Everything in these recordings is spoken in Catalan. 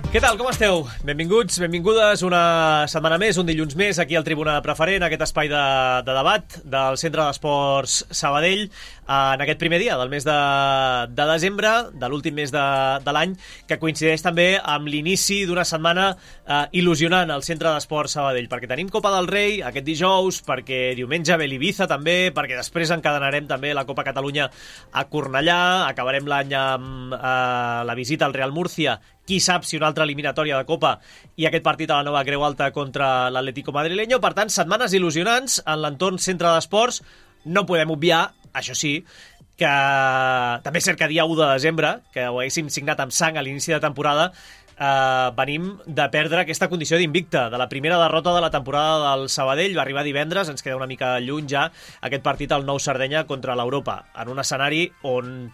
Què tal, com esteu? Benvinguts, benvingudes una setmana més, un dilluns més, aquí al Tribuna Preferent, aquest espai de debat del Centre d'Esports Sabadell, en aquest primer dia del mes de desembre, de l'últim mes de l'any, que coincideix també amb l'inici d'una setmana il·lusionant al Centre d'Esports Sabadell, perquè tenim Copa del Rei aquest dijous, perquè diumenge ve l'Ibiza també, perquè després encadenarem també la Copa Catalunya a Cornellà, acabarem l'any amb la visita al Real Murcia, qui sap si una altra eliminatòria de Copa i aquest partit a la nova Creu Alta contra l'Atlético madrileño. Per tant, setmanes il·lusionants en l'entorn Centre d'Esports. No podem obviar, això sí, que també és cert que dia 1 de desembre, que ho haguéssim signat amb sang a l'inici de temporada, venim de perdre aquesta condició d'invicte, de la primera derrota de la temporada del Sabadell. Va arribar divendres, ens queda una mica lluny ja aquest partit al Nou Sardenya contra l'Europa, en un escenari on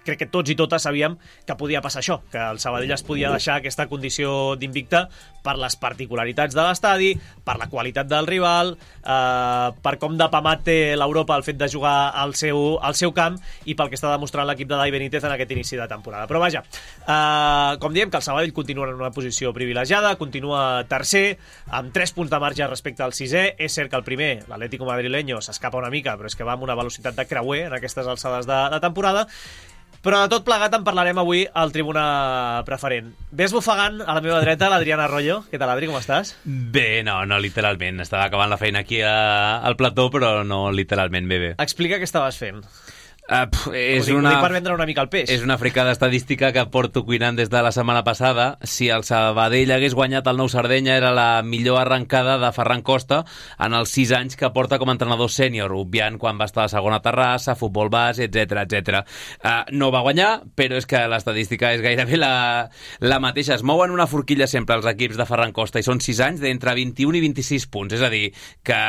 crec que tots i totes sabíem que podia passar això, que el Sabadell es podia deixar aquesta condició d'invicte per les particularitats de l'estadi, per la qualitat del rival, per com de pamat té l'Europa el fet de jugar al seu camp i pel que està demostrant l'equip de Dai Benítez en aquest inici de temporada. Però vaja, com diem, que el Sabadell continua en una posició privilegiada, continua tercer, amb 3 punts de marge respecte al sisè. És cert que el primer, l'Atlético madrileño, s'escapa una mica, però és que va amb una velocitat de creuer en aquestes alçades de temporada. Però de tot plegat en parlarem avui al Tribuna Preferent. Ves bufegant a la meva dreta l'Adriana Arroyo. Què tal, Adri, com estàs? Bé, no, literalment. Estava acabant la feina aquí al plató, però no literalment bé. Explica què estaves fent. Ho dic per vendre una mica el peix. És una fricada estadística que porto cuinant des de la setmana passada. Si el Sabadell hagués guanyat el Nou Sardenya, era la millor arrencada de Ferran Costa en els 6 anys que porta com a entrenador sènior, obviant quan va estar a la segona Terrassa, futbol base, etc. No va guanyar, però és que l'estadística és gairebé la mateixa. Es mouen una forquilla sempre els equips de Ferran Costa i són 6 anys d'entre 21 i 26 punts. És a dir, que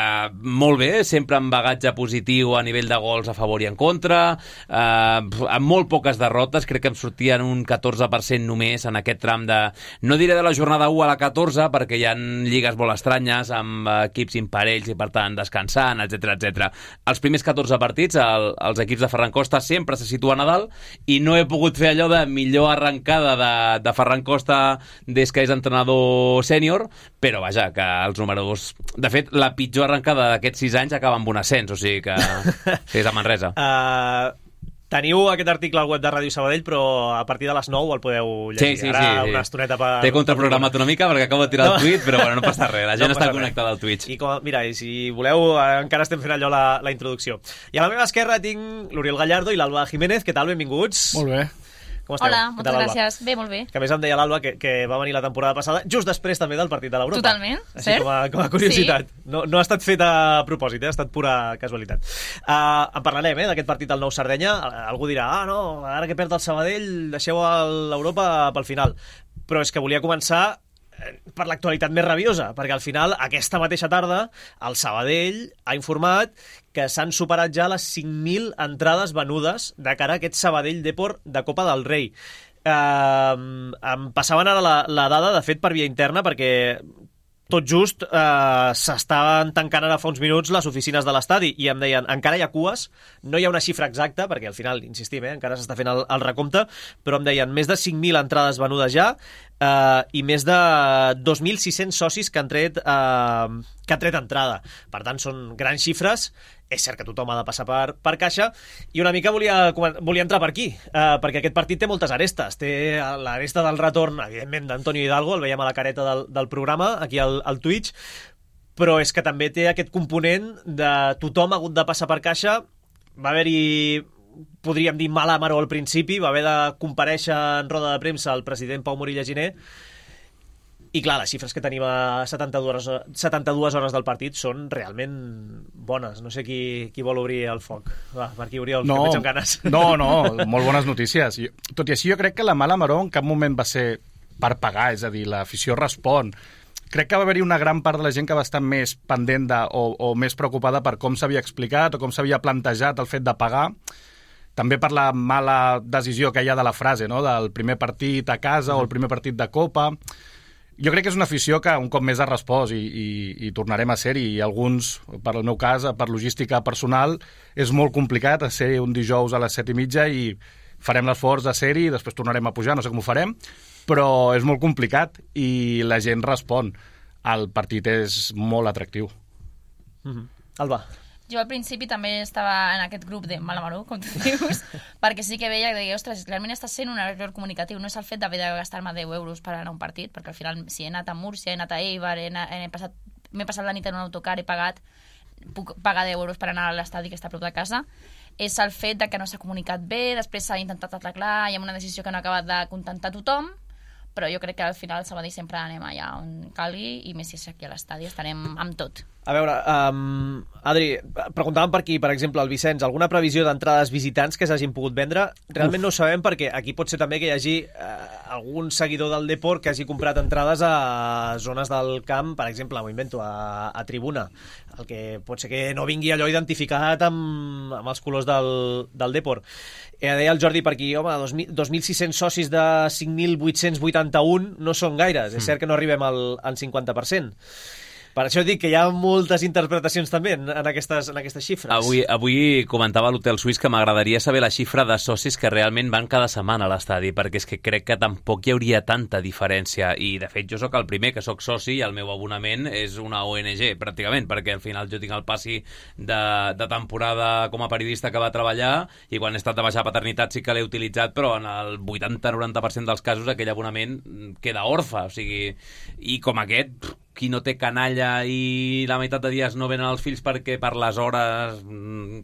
molt bé, sempre amb bagatge positiu a nivell de gols a favor i en contra, amb molt poques derrotes. Crec que em sortien un 14% només en aquest tram de, no diré de la jornada 1 a la 14, perquè hi ha lligues molt estranyes amb equips imparells i per tant descansant, etc. Els primers 14 partits els equips de Ferran Costa sempre se situen a dalt i no he pogut fer allò de millor arrencada de Ferran Costa des que és entrenador sènior, però vaja, que els números, de fet la pitjor arrencada d'aquests 6 anys acaba amb un ascens, o sigui que és a Manresa. Teniu aquest article al web de Ràdio Sabadell, però a partir de les 9 el podeu llegir. Sí. Una estoneta per... T'he contraprogramat una mica perquè acabo de tirar el tuit, però bueno, no passa res, la gent està connectada al Twitch. Mira, i si voleu, encara estem fent allò la introducció. I a la meva esquerra tinc l'Oriol Gallardo i l'Alba Jiménez. Què tal? Benvinguts. Molt bé. Com esteu? Hola, moltes gràcies. Bé, molt bé. Que a més em deia l'Alba que va venir la temporada passada just després també del partit de l'Europa. Totalment, així cert? Com a curiositat. Sí. No ha estat fet a propòsit, ha estat pura casualitat. En parlarem, d'aquest partit del Nou Sardenya. Algú dirà, no, ara que perd el Sabadell deixeu l'Europa pel final. Però és que volia començar per l'actualitat més rabiosa, perquè al final, aquesta mateixa tarda, el Sabadell ha informat que s'han superat ja les 5.000 entrades venudes de cara a aquest Sabadell Depor de Copa del Rei. Em passaven ara la dada, de fet, per via interna, perquè tot just s'estaven tancant ara fa uns minuts les oficines de l'estadi i em deien, encara hi ha cues, no hi ha una xifra exacta, perquè al final, insistim, encara s'està fent el recompte, però em deien més de 5.000 entrades venudes ja i més de 2.600 socis que han tret entrada. Per tant, són grans xifres. És cert que tothom ha de passar per caixa i una mica volia entrar per aquí, perquè aquest partit té moltes arestes. Té l'aresta del retorn, evidentment, d'Antonio Hidalgo, el veiem a la careta del programa, aquí al Twitch, però és que també té aquest component de tothom ha hagut de passar per caixa. Va haver-hi, podríem dir, mala maror al principi, va haver de comparèixer en roda de premsa el president Pau Morilla Giner. I clar, les xifres que tenim a 72 hores del partit són realment bones. No sé qui vol obrir el foc. Va, per aquí, Oriol, que em veig amb ganes. No, molt bones notícies. Tot i així, jo crec que la mala maror en cap moment va ser per pagar, és a dir, l'afició respon. Crec que va haver-hi una gran part de la gent que va estar més pendent o més preocupada per com s'havia explicat o com s'havia plantejat el fet de pagar. També per la mala decisió que hi ha de la frase, no?, del primer partit a casa o el primer partit de Copa. Jo crec que és una afició que un cop més ha respost i tornarem a ser-hi. I alguns, per el meu cas, per logística personal, és molt complicat ser un dijous a les 7:30 i farem l'esforç de ser-hi i després tornarem a pujar, no sé com ho farem. però és molt complicat i la gent respon. El partit és molt atractiu. Alba. Jo al principi també estava en aquest grup de Malamaró, com tu dius, perquè sí que veia que deia, ostres, realment està sent un error comunicatiu, no és el fet d'haver de gastar-me 10 euros per anar a un partit, perquè al final si he anat a Múrcia, he anat a Eibar, m'he passat la nit en un autocar, he pagat, puc pagar 10 euros per anar a l'estadi que està a prop de casa, és el fet de que no s'ha comunicat bé, després s'ha intentat arreglar, hi ha una decisió que no ha acabat de contentar tothom, però jo crec que al final al Sabadell sempre anem allà on calgui i més si és aquí a l'estadi estarem amb tot. A veure, Adri, preguntàvem per aquí, per exemple, el Vicenç, alguna previsió d'entrades visitants que s'hagin pogut vendre? Realment no ho sabem perquè aquí pot ser també que hi hagi algun seguidor del Depor que hagi comprat entrades a zones del camp, per exemple, m'ho invento, a tribuna, el que pot ser que no vingui allò identificat amb els colors del Depor. Deia el Jordi per aquí, home, 2.600 socis de 5.881 no són gaires, és cert que no arribem al 50%. Per això dic que hi ha moltes interpretacions també en aquestes xifres. Avui comentava l'Hotel Suís que m'agradaria saber la xifra de socis que realment van cada setmana a l'estadi, perquè és que crec que tampoc hi hauria tanta diferència. I, de fet, jo sóc el primer que sóc soci i el meu abonament és una ONG, pràcticament, perquè al final jo tinc el passi de temporada com a periodista que va treballar i quan he estat de baixa paternitat sí que l'he utilitzat, però en el 80-90% dels casos aquell abonament queda orfe. O sigui, i com aquest... qui no té canalla i la meitat de dies no venen els fills perquè per les hores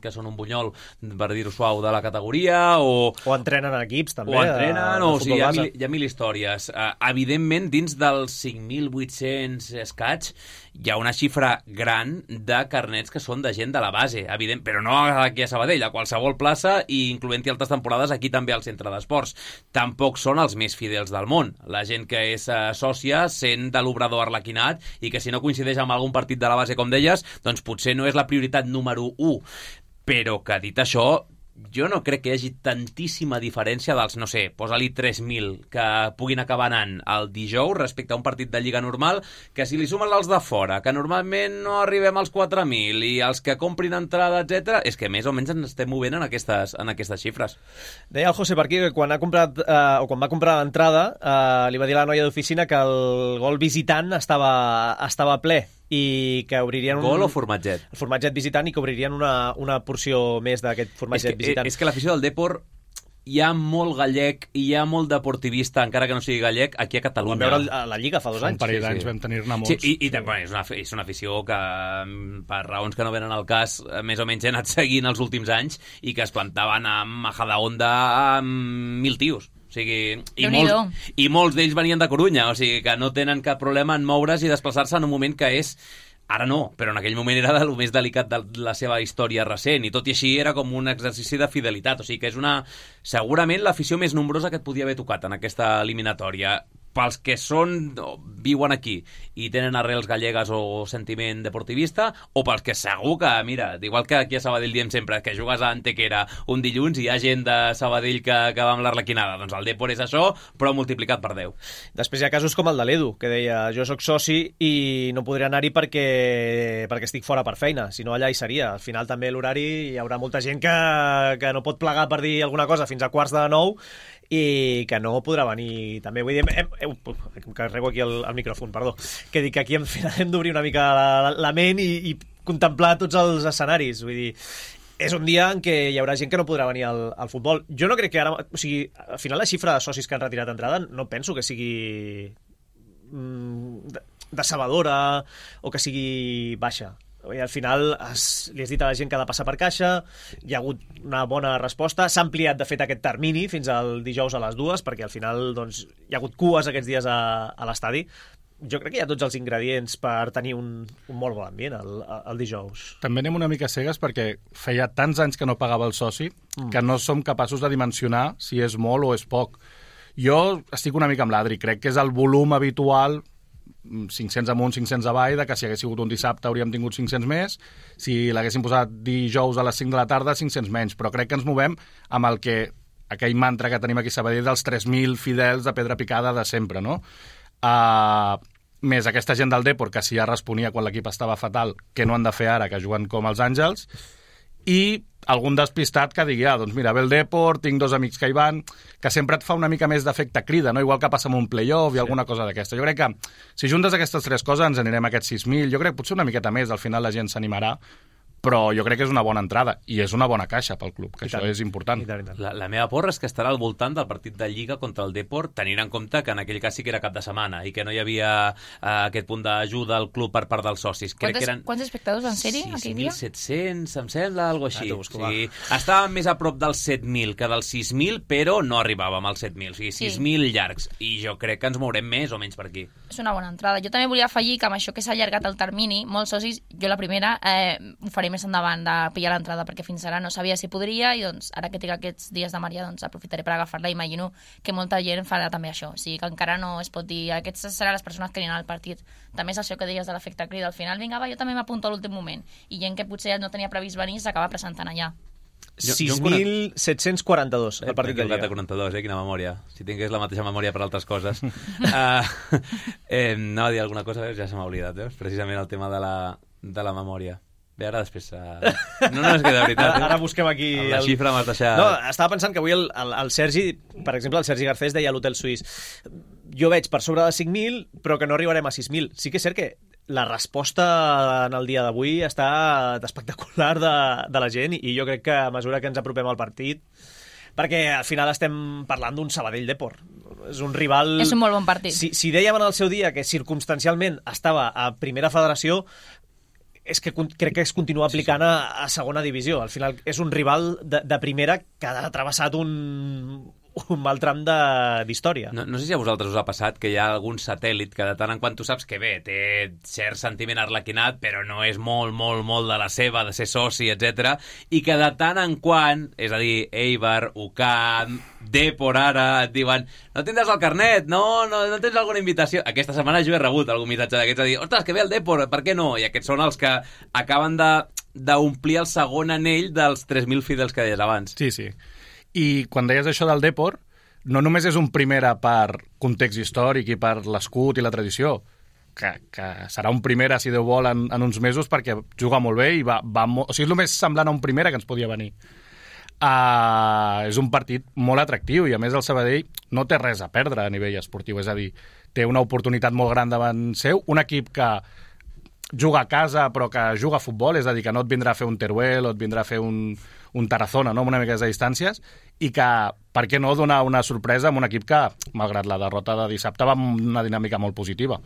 que són un bunyol, per dir-ho suau, de la categoria, o entrenen en equips també. O entrenen, o sigui, hi ha mil històries. Evidentment, dins dels 5.800 escaig, hi ha una xifra gran de carnets que són de gent de la base, evident, però no aquí a Sabadell, a qualsevol plaça, i incloent-hi altres temporades aquí també al centre d'esports. Tampoc són els més fidels del món. La gent que és sòcia sent de l'obrador arlequinat i que si no coincideix amb algun partit de la base, com deies, doncs potser no és la prioritat número 1. Però que dit això, jo no crec que hi hagi tantíssima diferència dels, no sé, posa-li 3.000 que puguin acabar anant el dijous respecte a un partit de Lliga normal, que si li sumen els de fora, que normalment no arribem als 4.000 i els que comprin entrada, etc, és que més o menys ens estem movent en aquestes xifres. Deia el José per aquí que quan va comprar l'entrada li va dir a la noia d'oficina que el gol visitant estava ple i que obririen... Gol o formatget? El formatget visitant, i que obririen una porció més d'aquest formatget visitant. És que l'afició del Depor hi ha molt gallec i hi ha molt deportivista, encara que no sigui gallec, aquí a Catalunya. Vam veure la Lliga fa 2 anys. Un parell d'anys vam tenir-ne molts. Sí, és una afició que, per raons que no venen al cas, més o menys he anat seguint els últims anys i que es plantaven a Majadahonda amb 1.000 tios. O sigui, i molts d'ells venien de Corunya, o sigui que no tenen cap problema en moure's i desplaçar-se en un moment que és... Ara no, però en aquell moment era el més delicat de la seva història recent, i tot i així era com un exercici de fidelitat, o sigui que és segurament l'afició més nombrosa que et podia haver tocat en aquesta eliminatòria. Pels que viuen aquí i tenen arrels gallegues o sentiment deportivista, o pels que segur que, mira, igual que aquí a Sabadell diem sempre que jugues a Antequera un dilluns i hi ha gent de Sabadell que va amb l'arlequinada, doncs el Depor és això, però multiplicat per 10. Després hi ha casos com el de l'Edu, que deia, jo sóc soci i no podré anar-hi perquè estic fora per feina, si no allà hi seria. Al final també l'horari hi haurà molta gent que no pot plegar per dir alguna cosa fins a 8:45 i que no podrà venir també. Vull dir, em carrego aquí el micròfon, perdó, que dic que aquí hem d'obrir una mica la ment i contemplar tots els escenaris. Vull dir, és un dia en què hi haurà gent que no podrà venir al futbol. Jo no crec que ara... O sigui, al final la xifra de socis que han retirat entrada no penso que sigui decebedora o que sigui baixa. I al final li has dit a la gent que ha de passar per caixa, hi ha hagut una bona resposta, s'ha ampliat de fet aquest termini fins al dijous a les 2, perquè al final doncs, hi ha hagut cues aquests dies a l'estadi. Jo crec que hi ha tots els ingredients per tenir un molt bon ambient el dijous. També anem una mica cegues perquè feia tants anys que no pagava el soci que no som capaços de dimensionar si és molt o és poc. Jo estic una mica amb l'Adri, crec que és el volum habitual, 500 amunt, 500 avall, de que si hagués sigut un dissabte hauríem tingut 500 més, si l'haguéssim posat dijous a les 5 de la tarda, 500 menys, però crec que ens movem amb aquell mantra que tenim aquí a Sabadell dels 3.000 fidels de pedra picada de sempre, no? Més aquesta gent del Depor, que si ja responia quan l'equip estava fatal, que no han de fer ara, que juguen com els àngels, i algun despistat que digui, doncs mira, ve el Depor, tinc 2 amics que hi van, que sempre et fa una mica més d'efecte crida, no? Igual que passa amb un play-off i alguna cosa d'aquesta. Jo crec que si juntes aquestes 3 coses ens anirem a aquests 6.000, jo crec que potser una miqueta més, al final la gent s'animarà, però jo crec que és una bona entrada i és una bona caixa pel club, que això és important. La meva porra és que estarà al voltant del partit de Lliga contra el Depor, tenint en compte que en aquell cas sí que era cap de setmana i que no hi havia aquest punt d'ajuda al club per part dels socis. Quants espectadors van ser-hi aquell dia? 6.700, em sembla, algo així. Sí, estàvem més a prop dels 7.000 que dels 6.000, però no arribàvem als 7.000, o sigui, 6.000 llargs. I jo crec que ens mourem més o menys per aquí. És una bona entrada. Jo també volia afegir que amb això que s'ha allargat el termini, molts socis, jo la primera, ho faré més endavant de pillar l'entrada, perquè fins ara no sabia si podria i doncs ara que tinc aquests dies de Maria doncs aprofitaré per agafar-la. Imagino que molta gent farà també això, o sigui que encara no es pot dir aquestes seran les persones que aniran al partit. També és això que deies de l'efecte crida al final, vinga va, jo també m'apunto a l'últim moment, i gent que potser no tenia previst venir s'acaba presentant allà. 6.742 el partit de Lliga. 42, quina memòria. Si tingués la mateixa memòria per altres coses. No, dir alguna cosa, ja se m'ha oblidat, precisament el tema de la memòria. Bé, ara després... No, és que de veritat... Ara busquem aquí... La xifra m'has deixat... No, estava pensant que avui el Sergi, per exemple, el Sergi Garcés deia a l'Hotel Suís, jo veig per sobre de 5.000, però que no arribarem a 6.000. Sí que és cert que la resposta en el dia d'avui està espectacular de la gent i jo crec que a mesura que ens apropem al partit, perquè al final estem parlant d'un Sabadell Depor. És un rival... És un molt bon partit. Si dèiem en el seu dia que circumstancialment estava a primera federació, és que crec que es continua aplicant a segona divisió. Al final és un rival de primera que ha travessat un mal tram d'història. No sé si a vosaltres us ha passat que hi ha algun satèl·lit que de tant en quant tu saps que bé, té cert sentiment arlequinat, però no és molt de la seva, de ser soci, etc. I que de tant en quant, és a dir, Eibar, UCAM, Depor ara, et diuen no tindràs el carnet, no tens alguna invitació. Aquesta setmana jo he rebut algun missatge d'aquests a dir, ostres, que ve el Depor, per què no? I aquests són els que acaben d'omplir el segon anell dels 3.000 fidels que deies abans. Sí. I quan deies això del Depor, no només és un primera per context històric i per l'escut i la tradició, que serà un primera, si Déu vol, en uns mesos, perquè juga molt bé i va o sigui, és el més semblant a un primera que ens podia venir. És un partit molt atractiu i, a més, el Sabadell no té res a perdre a nivell esportiu, és a dir, té una oportunitat molt gran davant seu, un equip que juga a casa però que juga a futbol, és a dir, que no et vindrà a fer un Teruel o et vindrà a fer un Tarazona, no? Amb una mica de distàncies, i que, per què no, donar una sorpresa amb un equip que, malgrat la derrota de dissabte, va amb una dinàmica molt positiva.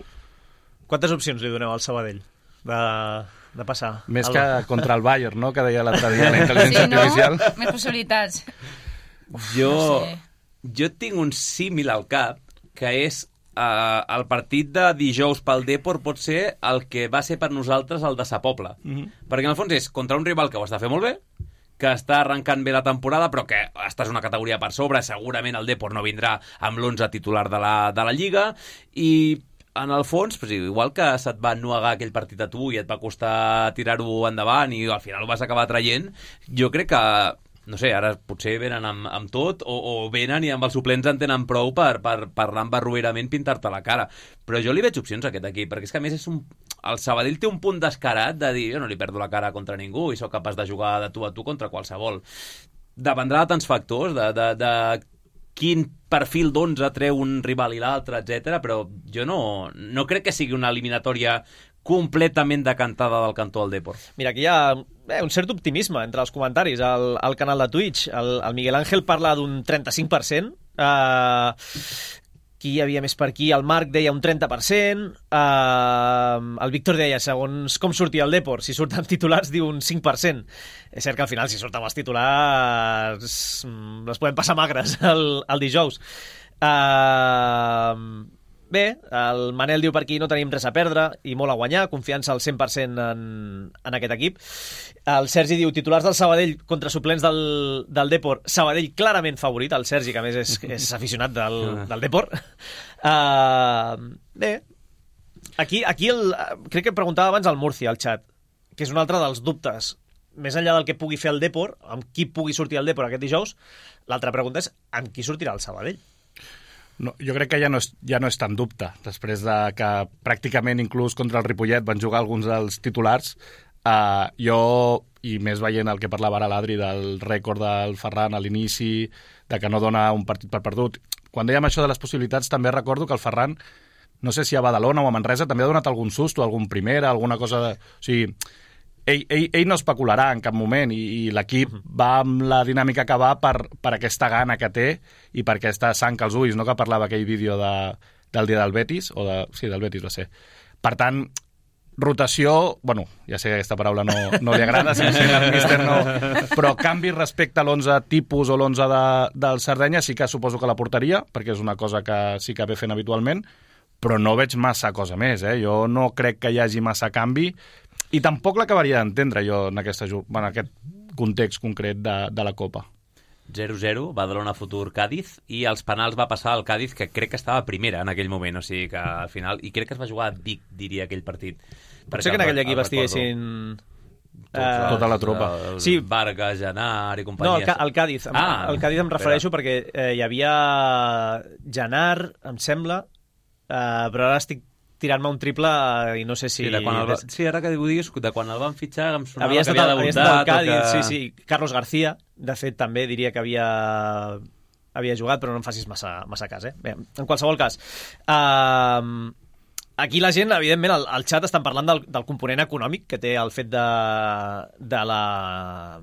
Quantes opcions li doneu al Sabadell de passar? Més que contra el Bayern, no?, que deia l'altre dia la intel·ligència artificial. Més possibilitats. Jo tinc un símil al cap, que és el partit de dijous pel Depor pot ser el que va ser per nosaltres el de Sa Pobla. Perquè en el fons és contra un rival que ho està fent molt bé, que està arrencant bé la temporada, però que estàs una categoria per sobre, segurament el Depor no vindrà amb l'11 titular de la Lliga, i en el fons, pues, igual que se't va ennuegar aquell partit a tu i et va costar tirar-ho endavant i al final ho vas acabar traient, jo crec que no sé, ara potser venen amb tot o venen i amb els suplents en tenen prou per parlar amb barruerament, pintar-te la cara. Però jo li veig opcions a aquest equip, perquè és que a més el Sabadell té un punt descarat de dir jo no li perdo la cara contra ningú i sóc capaç de jugar de tu a tu contra qualsevol. Dependrà de tants factors, de quin perfil d'11 treu un rival i l'altre, etc. Però jo no crec que sigui una eliminatòria completament decantada del cantó del Depor. Mira, aquí hi ha un cert optimisme entre els comentaris al canal de Twitch. El Miguel Ángel parla d'un 35%. Qui hi havia més per aquí? El Marc deia un 30%. El Víctor deia, segons com sortia el Depor, si surt amb titulars, diu un 5%. És cert que al final, si surt amb els titulars, les podem passar magres el dijous. Bé, el Manel diu per aquí no tenim res a perdre i molt a guanyar, confiança al 100% en aquest equip. El Sergi diu titulars del Sabadell contra suplents del Depor. Sabadell clarament favorit, el Sergi, que a més és aficionat del Depor. Bé, aquí crec que preguntava abans el Murcia al xat, que és un altre dels dubtes. Més enllà del que pugui fer el Depor, amb qui pugui sortir el Depor aquest dijous, l'altra pregunta és amb qui sortirà el Sabadell. No, jo crec que ja no és tan dubte. Després de que pràcticament inclús contra el Ripollet van jugar alguns dels titulars, jo i més veient el que parlava ara l'Adri del rècord del Ferran a l'inici, de que no dona un partit per perdut. Quan dèiem això de les possibilitats, també recordo que el Ferran, no sé si a Badalona o a Manresa, també ha donat algun susto, algun primera, alguna cosa de... O sigui, ell no especularà en cap moment i l'equip va amb la dinàmica que va per aquesta gana que té i per aquesta sang als ulls, no?, que parlava aquell vídeo del dia del Betis, sí, del Betis va ser. Per tant, rotació, bueno, ja sé que aquesta paraula no li agrada, el míster no, però canvi respecte a l'11 tipus o l'11 del Sardenya, sí que suposo que la portaria, perquè és una cosa que sí que ve fent habitualment, però no veig massa cosa més, Jo no crec que hi hagi massa canvi i tampoc l'acabaria d'entendre jo en aquest context concret de la Copa. 0-0, Badalona Futur Cádiz, i als penals va passar el Cádiz, que crec que estava primera en aquell moment, o sigui que al final, i crec que es va jugar a Vic, diria, aquell partit. Potser que en aquell equip estiguessin... Tota la tropa. Sí. Vargas, Genar i companyia. No, el Cádiz. El Cádiz em refereixo perquè hi havia Genar, em sembla, però ara estic tirant-me un triple i no sé si... Sí, ara que ho diguis, de quan el van fitxar em sonava havia que havia debutat. Havia estat el Cádiz, sí. Carlos García, de fet, també diria que havia jugat, però no em facis massa cas, Bé, en qualsevol cas, aquí la gent, evidentment, al xat estan parlant del component econòmic que té el fet de la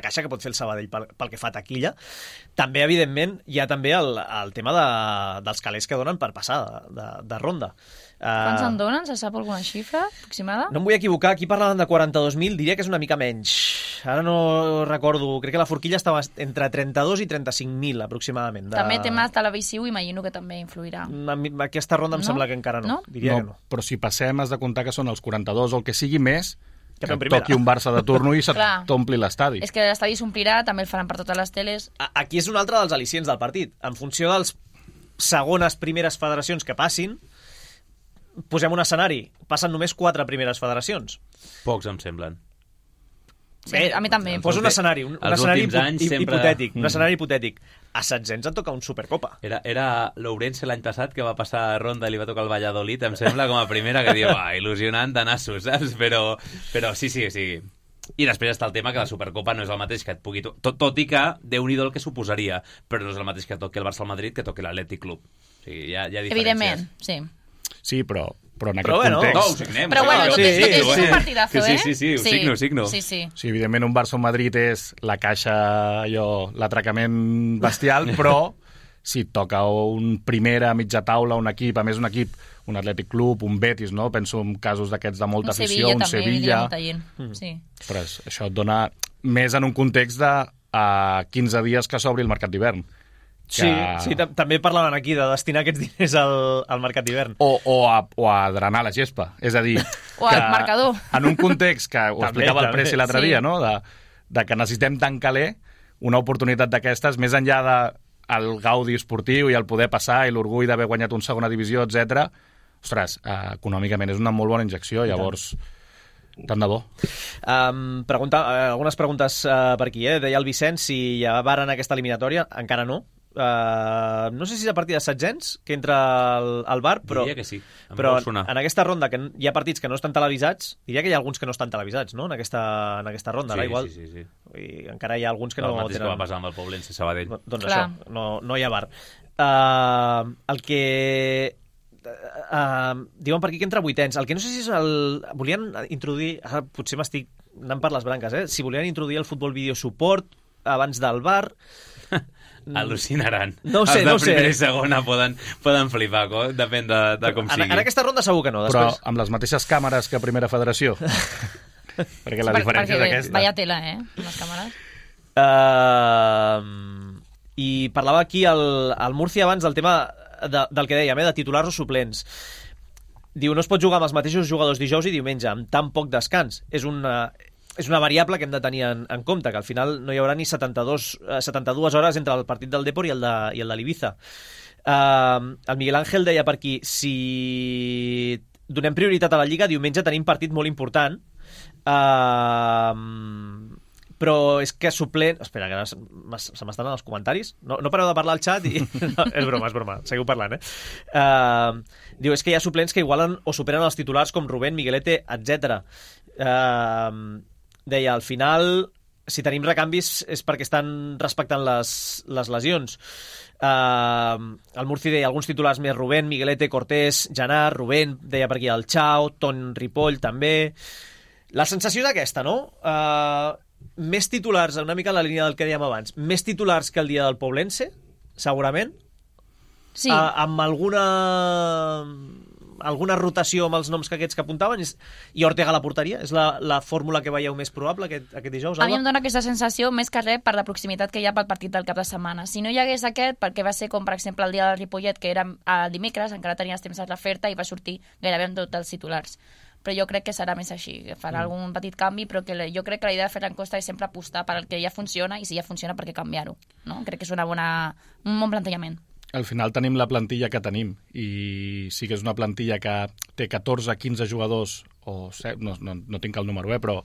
caixa que pot fer el Sabadell pel que fa a taquilla. També, evidentment, hi ha també el tema dels calés que donen per passar de ronda. Quants en donen? Se sap alguna xifra aproximada? No em vull equivocar, aquí parlaven de 42.000, diria que és una mica menys. Ara no recordo, crec que la forquilla estava entre 32 i 35.000 aproximadament. També tema televisiu, imagino que també influirà. Aquesta ronda em sembla que encara no. Diria que no. Però si passem has de comptar que són els 42 o el que sigui més, que primera. Toqui un Barça de turno i t'ompli l'estadi. És que l'estadi s'omplirà, també el faran per totes les teles. Aquí és un altre dels al·licients del partit. En funció dels segones, primeres federacions que passin, posem un escenari. Passen només 4 primeres federacions. Pocs em semblen. Sí, a mi també. Posa un escenari hipotètic. Un escenari hipotètic. A Setzens et toca un Supercopa. Era l'Ourense l'any passat que va passar a ronda i li va tocar el Valladolid, em sembla, com a primera, que diu, il·lusionant de nassos, saps? Però sí. I després està el tema que la Supercopa no és el mateix que et pugui... Tot i que, Déu-n'hi-do el que suposaria, però no és el mateix que toqui el Barça al Madrid que toqui l'Atlètic Club. O sigui, hi ha diferències. Evidentment, sí. Sí, però en aquest context... No, ho signem. Però bueno, és un partidazo, Sí, ho signo. Sí, evidentment un Barça o Madrid és la caixa, l'atracament bestial, però si et toca un primera, mitja taula, un equip, a més un equip, un Atlètic Club, un Betis, no? Penso en casos d'aquests de molta afició, un Sevilla... Sí. Però això et dona més en un context de 15 dies que s'obri el mercat d'hivern. Sí, també parlaven aquí de destinar aquests diners al mercat d'hivern. O a drenar la gespa. És a dir... O al marcador. En un context que ho explicava el Presi l'altre dia, no? De que necessitem tant caler, una oportunitat d'aquestes, més enllà del gaudi esportiu i el poder passar i l'orgull d'haver guanyat un segona divisió, etc. Ostres, econòmicament és una molt bona injecció, llavors... Tant de bo. Algunes preguntes per aquí, Deia el Vicenç si ja varen aquesta eliminatòria. Encara no. No sé si és a partir de Setzens que entra al bar, però, diria que sí. però en aquesta ronda que hi ha partits que no estan televisats, diria que hi ha alguns que no estan televisats, no? En aquesta ronda, sí, igual. Sí. I encara hi ha alguns que no tenen... El mateix que va passar amb el Poblense Sabadell. Doncs clar. Això, no hi ha bar. El que... diuen per aquí que entra vuitens. El que no sé si és volien introduir, ara potser m'estic anant per les branques, si volien introduir el futbol video support abans del VAR. Al·lucinaran. No ho sé. Primera i segona poden flipar, depèn de com sigui. En aquesta ronda segur que no. Després... Però amb les mateixes càmeres que Primera Federació. Perquè la diferència és aquesta. Vaya tela, amb les càmeres. I parlava aquí el Murcia abans del tema del que dèiem, de titulars o suplents. Diu, no es pot jugar amb els mateixos jugadors dijous i diumenge, amb tan poc descans. És una variable que hem de tenir en compte, que al final no hi haurà ni 72 hores entre el partit del Depor i el de l'Ibiza. El Miguel Ángel deia per aquí, si donem prioritat a la Lliga, diumenge tenim partit molt important, però és que suplent... Espera, que ara se m'estan els comentaris. No pareu de parlar al xat i... No, és broma. Seguiu parlant, Diu, és que hi ha suplents que igualen o superen els titulars com Rubén, Miguelete, etc. deia, al final, si tenim recanvis és perquè estan respectant les lesions. El Murci deia alguns titulars més, Rubén, Miguelete, Cortés, Janart, Rubén, deia per aquí el Chao, Ton Ripoll també. La sensació és aquesta, no? Més titulars, una mica en la línia del que dèiem abans, més titulars que el dia del Poblense, segurament. Sí. Amb alguna rotació amb els noms que aquests que apuntaven, i Ortega a la porteria? És la fórmula que veieu més probable aquest dijous, Alba? A mi em dona aquesta sensació més que res per la proximitat que hi ha pel partit del cap de setmana. Si no hi hagués aquest, perquè va ser com, per exemple, el dia del Ripollet, que era el dimecres, encara tenies temps de refer-te i va sortir gairebé amb tots els titulars. Però jo crec que serà més així, farà algun petit canvi, però que jo crec que la idea de Ferran Costa és sempre apostar per el que ja funciona, i si ja funciona, per què canviar-ho? No? Crec que és un bon plantejament. Al final tenim la plantilla que tenim, i sí que és una plantilla que té 14-15 jugadors, o no tinc el número, però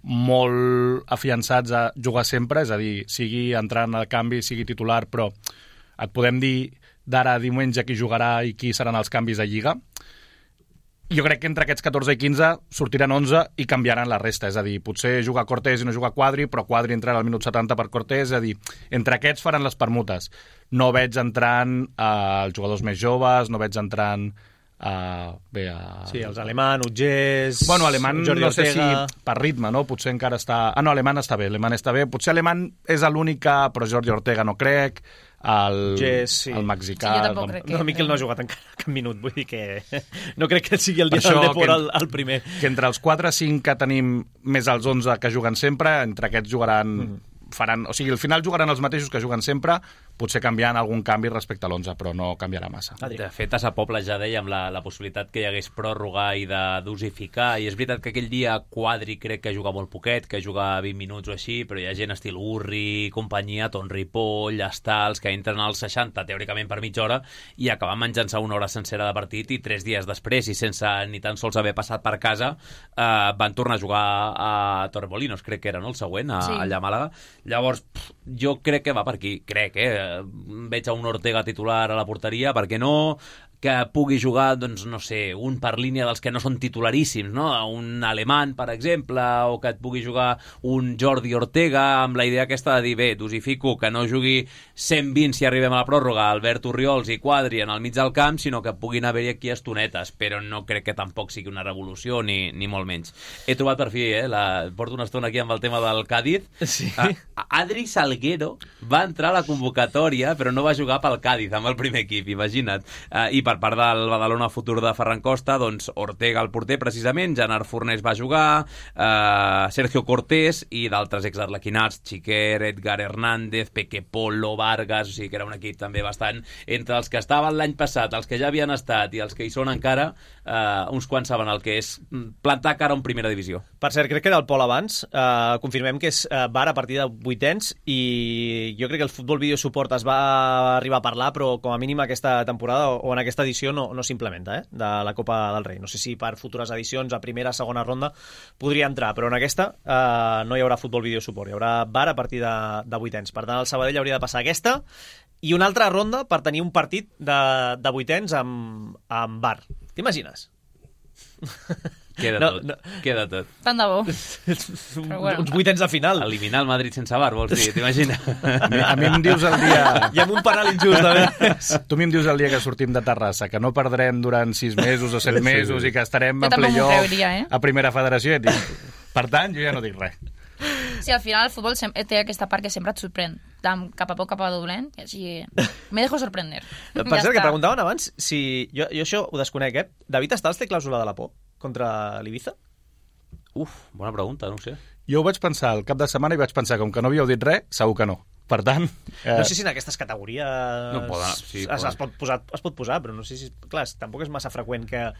molt afiançats a jugar sempre, és a dir, sigui entrant al canvi, sigui titular, però et podem dir d'ara a diumenge qui jugarà i qui seran els canvis a Lliga. Jo crec que entre aquests 14 i 15 sortiran 11 i canviaran la resta. És a dir, potser jugar Cortés i no jugar Quadri, però Quadri entrarà al minut 70 per Cortés. És a dir, entre aquests faran les permutes. No veig entrant els jugadors més joves, no veig entrant Sí, els Alemán, Utgés... Bueno, Alemán Jordi no sé Ortega. si per ritme, no? Potser encara està... No, Alemán està bé. Potser Alemán és l'única, però Jordi Ortega no crec. El mexicà... Sí, jo tampoc crec que... No, Miquel no ha jugat encara cap minut, vull dir que no crec que sigui el dia del Depor el primer. Que entre els 4-5 que tenim més els 11 que juguen sempre, entre aquests jugaran... O sigui, al final jugaran els mateixos que juguen sempre, potser canviant algun canvi respecte a l'11, però no canviarà massa. De fet, a Sa Pobla ja dèiem la possibilitat que hi hagués pròrroga i de dosificar, i és veritat que aquell dia Quadri crec que juga molt poquet, que juga 20 minuts o així, però hi ha gent estil Urri, companyia, Ton Ripoll, Estals, que entren als 60, teòricament per mitja hora, i acaben menjant-se una hora sencera de partit, i 3 dies després, i sense ni tan sols haver passat per casa, van tornar a jugar a Torremolinos, crec que era, no?, el següent, allà a Màlaga. Llavors, jo crec que va per aquí, veig a un Ortega titular a la porteria, per què no? Que pugui jugar, doncs, no sé, un per línia dels que no són titularíssims, no? Un Alemán, per exemple, o que et pugui jugar un Jordi Ortega, amb la idea aquesta de dir, bé, dosifico, que no jugui 120 si arribem a la pròrroga, Albert Orriols i Quadri en el mig del camp, sinó que puguin haver-hi aquí estonetes, però no crec que tampoc sigui una revolució, ni molt menys. He trobat per fi, porto una estona aquí amb el tema del Cádiz. Sí. Adri Salguero va entrar a la convocatòria, però no va jugar pel Cádiz, amb el primer equip, imagina't. I per part del Badalona futur de Ferran Costa, doncs Ortega el porter precisament, Janart Fornés va jugar, Sergio Cortés i d'altres exarlequinats, Chiquer, Edgar Hernández, Peque Polo, Vargas, o sigui que era un equip també bastant entre els que estaven l'any passat, els que ja havien estat i els que hi són encara, uns quants saben el que és plantar cara en primera divisió. Per cert, crec que era el Pol abans, confirmem que és VAR a partir de 8ens, i jo crec que el Futbol Video Support es va arribar a parlar, però com a mínim aquesta temporada o en aquesta edició no s'implementa, de la Copa del Rei. No sé si per futures edicions, a primera, segona ronda, podria entrar, però en aquesta no hi haurà Futbol Video Support, hi haurà VAR a partir de 8ens. Per tant, el Sabadell hauria de passar aquesta i una altra ronda per tenir un partit de 8ens amb VAR. T'imagines? Queda tot. Tant de bo. Uns 8ens de final. Eliminar el Madrid sense VAR, vols dir, t'imagines? A mi em dius el dia... I amb un penal injust, a més. Tu em dius el dia que sortim de Terrassa, que no perdrem durant 6 mesos o 7 mesos i que estarem a playoff a Primera Federació, i dic, per tant, jo ja no dic res. Sí, al final el futbol té aquesta part que sempre et sorprèn, cap a poc, cap a dolent, i així me dejo sorprender. Per cert, que preguntaven abans si... Jo això ho desconec, David Estals té clàusula de la por contra l'Ibiza? Bona pregunta, no ho sé. Jo ho vaig pensar el cap de setmana i vaig pensar, com que no havíeu dit res, segur que no. Per tant... No sé si en aquestes categories es pot posar, però no sé si... Clar, tampoc és massa freqüent que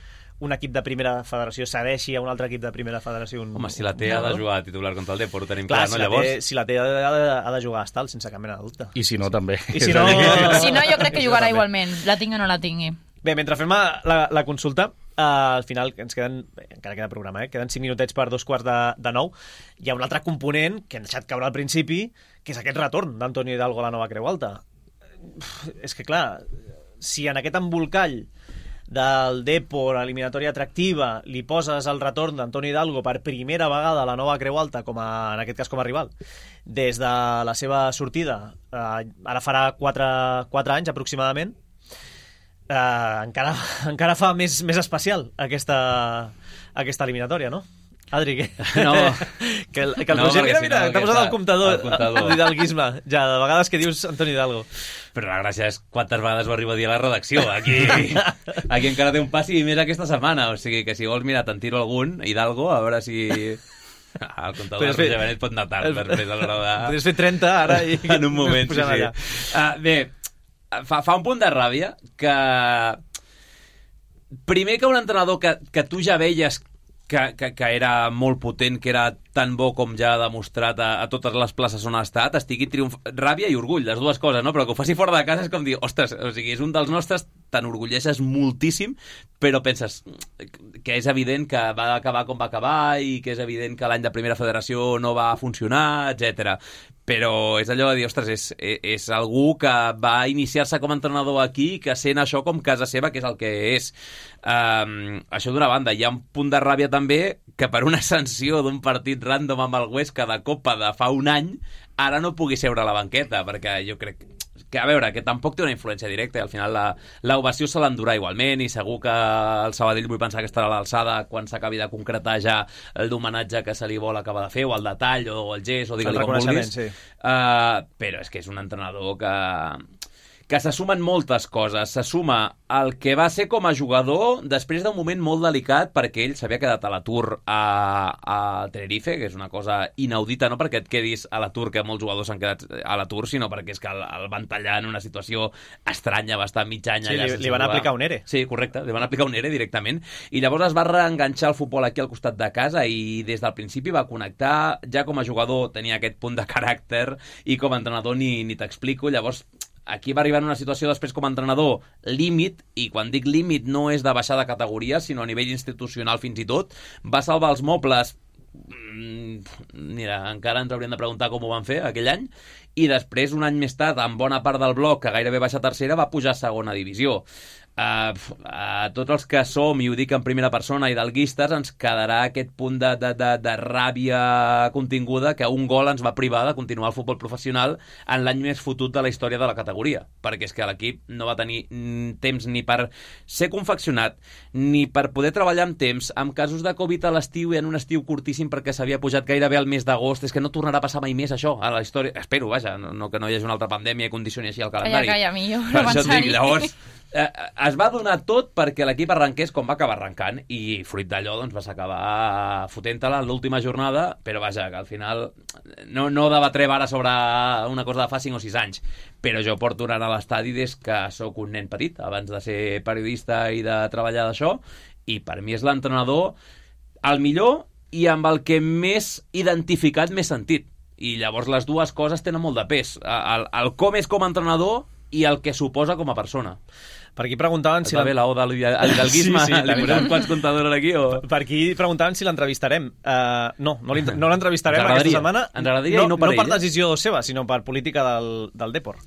un equip de primera federació cedeixi a un altre equip de primera federació. Home, si la té ha de jugar a titular contra el Depor, ho tenim clar, no? Llavors... Si la té ha de jugar a Estal, sense cap mena de dubte. I si no, també. I si no, jo crec que jugarà igualment, la tingui o no la tingui. Bé, mentre fem la consulta, al final ens queden, encara queda programa, queden 5 minutets per 8:45. Hi ha un altre component que hem deixat caure al principi, que és aquest retorn d'Antonio Hidalgo a la nova Creu Alta. És que, clar, si en aquest embolcall del Depor, eliminatòria atractiva, li poses el retorn d'Antoni Hidalgo per primera vegada a la nova Creu Alta, en aquest cas com a rival, des de la seva sortida, ara farà 4 anys aproximadament, encara fa més especial aquesta eliminatòria, no? Adri, No. que el Roger, mira, t'ha posat el comptador d'hidalguisme, ja, de vegades que dius Antoni Hidalgo. Però la gràcia és quantes vegades ho arribo a dir a la redacció. Aquí encara té un passi i més aquesta setmana. O sigui que si vols, mira, te'n tiro algun, Hidalgo, a veure si... El comptador de Roger Benet pot anar tard després a l'hora de... Podries fer 30 ara i... En un moment, sí. Bé, fa un punt de ràbia que... Primer que un entrenador que tu ja veies que era molt potent, que era tan bo com ja ha demostrat a totes les places on ha estat, estigui ràbia i orgull, les dues coses, no? Però que ho faci fora de casa és com dir, ostres, o sigui, és un dels nostres, t'enorgulleixes moltíssim, però penses que és evident que va acabar com va acabar i que és evident que l'any de primera federació no va funcionar, etc. Però és allò de dir, ostres, és algú que va iniciar-se com a entrenador aquí, que sent això com casa seva, que és el que és. Això d'una banda. Hi ha un punt de ràbia també que per una sanció d'un partit random amb el Huesca de Copa de fa un any, ara no pugui seure a la banqueta, perquè jo crec que, a veure, que tampoc té una influència directa i al final l'ovació se l'endurà igualment i segur que el Sabadell vull pensar que estarà a l'alçada quan s'acabi de concretar ja l'homenatge que se li vol acabar de fer, o el detall, o el gest, o digue-li com vulguis. Sí. Però és que és un entrenador que se sumen moltes coses. Se suma el que va ser com a jugador després d'un moment molt delicat perquè ell s'havia quedat a l'atur a Tenerife, que és una cosa inaudita, no perquè et quedis a l'atur, que molts jugadors s'han quedat a l'atur, sinó perquè és que el van tallar en una situació estranya, va estar mig any allà. Sí, li van aplicar un ERE. Sí, correcte, li van aplicar un ERE directament. I llavors es va reenganxar el futbol aquí al costat de casa i des del principi va connectar. Ja com a jugador tenia aquest punt de caràcter i com a entrenador ni t'explico. Llavors aquí va arribar en una situació després com a entrenador límit, i quan dic límit no és de baixar de categoria, sinó a nivell institucional fins i tot. Va salvar els mobles, mira, encara ens hauríem de preguntar com ho van fer aquell any, i després, un any més tard, amb bona part del bloc, que gairebé baixa a tercera, va pujar a segona divisió. A tots els que som, i ho dic en primera persona, hidalguistes, ens quedarà aquest punt de ràbia continguda que un gol ens va privar de continuar el futbol professional en l'any més fotut de la història de la categoria, perquè és que l'equip no va tenir temps ni per ser confeccionat ni per poder treballar amb temps, amb casos de Covid a l'estiu i en un estiu curtíssim perquè s'havia pujat gairebé al mes d'agost. És que no tornarà a passar mai més això a la història, espero, vaja, no que no hi hagi una altra pandèmia i condicioni així el calendari. Calla, millor per no això et dic, pensar-hi. llavors es va donar tot perquè l'equip arrenqués com va acabar arrencant, i fruit d'allò doncs, vas acabar fotent-te-la en l'última jornada, però vaja, que al final no debatrem ara sobre una cosa de fa 5 o 6 anys, però jo porto anant a l'estadi des que sóc un nen petit, abans de ser periodista i de treballar d'això, i per mi és l'entrenador el millor i amb el que més identificat m'he sentit, i llavors les dues coses tenen molt de pes, el com és com a entrenador i el que suposa com a persona. Per aquí preguntaven si... Va bé la oda a l'hidalguisme, sí, li posem uns quants comptadors aquí, o... Per aquí preguntaven si l'entrevistarem. No l'entrevistarem aquesta setmana. Ens agradaria i no per ell. No per decisió seva, sinó per política del Depor.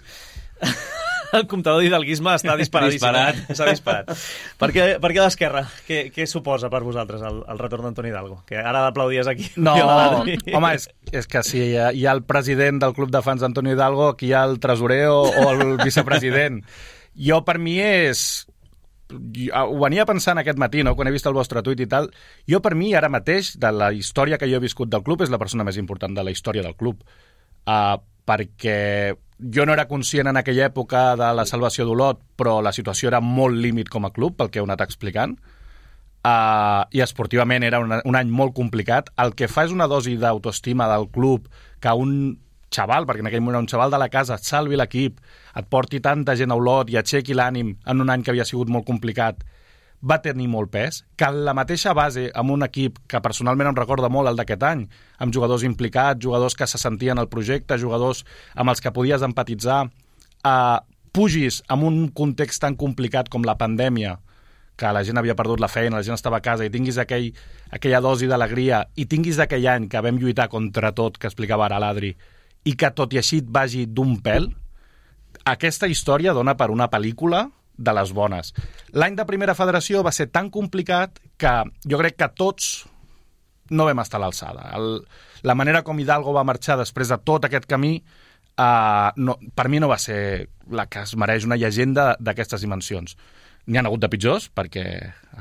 El comptador d'hidalguisme està disparadíssim. S'ha disparat. Per què d'Esquerra? Què suposa per vosaltres el retorn d'Antoni Hidalgo? Que ara l'aplaudies aquí. No, home, és que si hi ha el president del club de fans d'Antoni Hidalgo, aquí hi ha el tresorer o el vicepresident. Jo, per mi, ho venia pensant aquest matí, no?, quan he vist el vostre tuit i tal. Jo, per mi, ara mateix, de la història que jo he viscut del club, és la persona més important de la història del club. Perquè jo no era conscient en aquella època de la salvació d'Olot, però la situació era molt límit com a club, pel que heu anat explicant. I esportivament era un any molt complicat. El que fa és una dosi d'autoestima del club, que un xaval, perquè en aquell moment era un xaval de la casa, et salvi l'equip, et porti tanta gent a Olot i aixequi l'ànim en un any que havia sigut molt complicat, va tenir molt pes, que en la mateixa base, amb un equip que personalment em recorda molt el d'aquest any, amb jugadors implicats, jugadors que se sentien al projecte, jugadors amb els que podies empatitzar, pugis en un context tan complicat com la pandèmia, que la gent havia perdut la feina, la gent estava a casa, i tinguis aquella dosi d'alegria, i tinguis d'aquell any que vam lluitar contra tot, que explicava ara l'Adri, i que tot i així et vagi d'un pèl, aquesta història dona per una pel·lícula de les bones. L'any de primera federació va ser tan complicat que jo crec que tots no vam estar a l'alçada. La manera com Hidalgo va marxar després de tot aquest camí per mi no va ser la que es mereix una llegenda d'aquestes dimensions. N'hi ha hagut de pitjors, perquè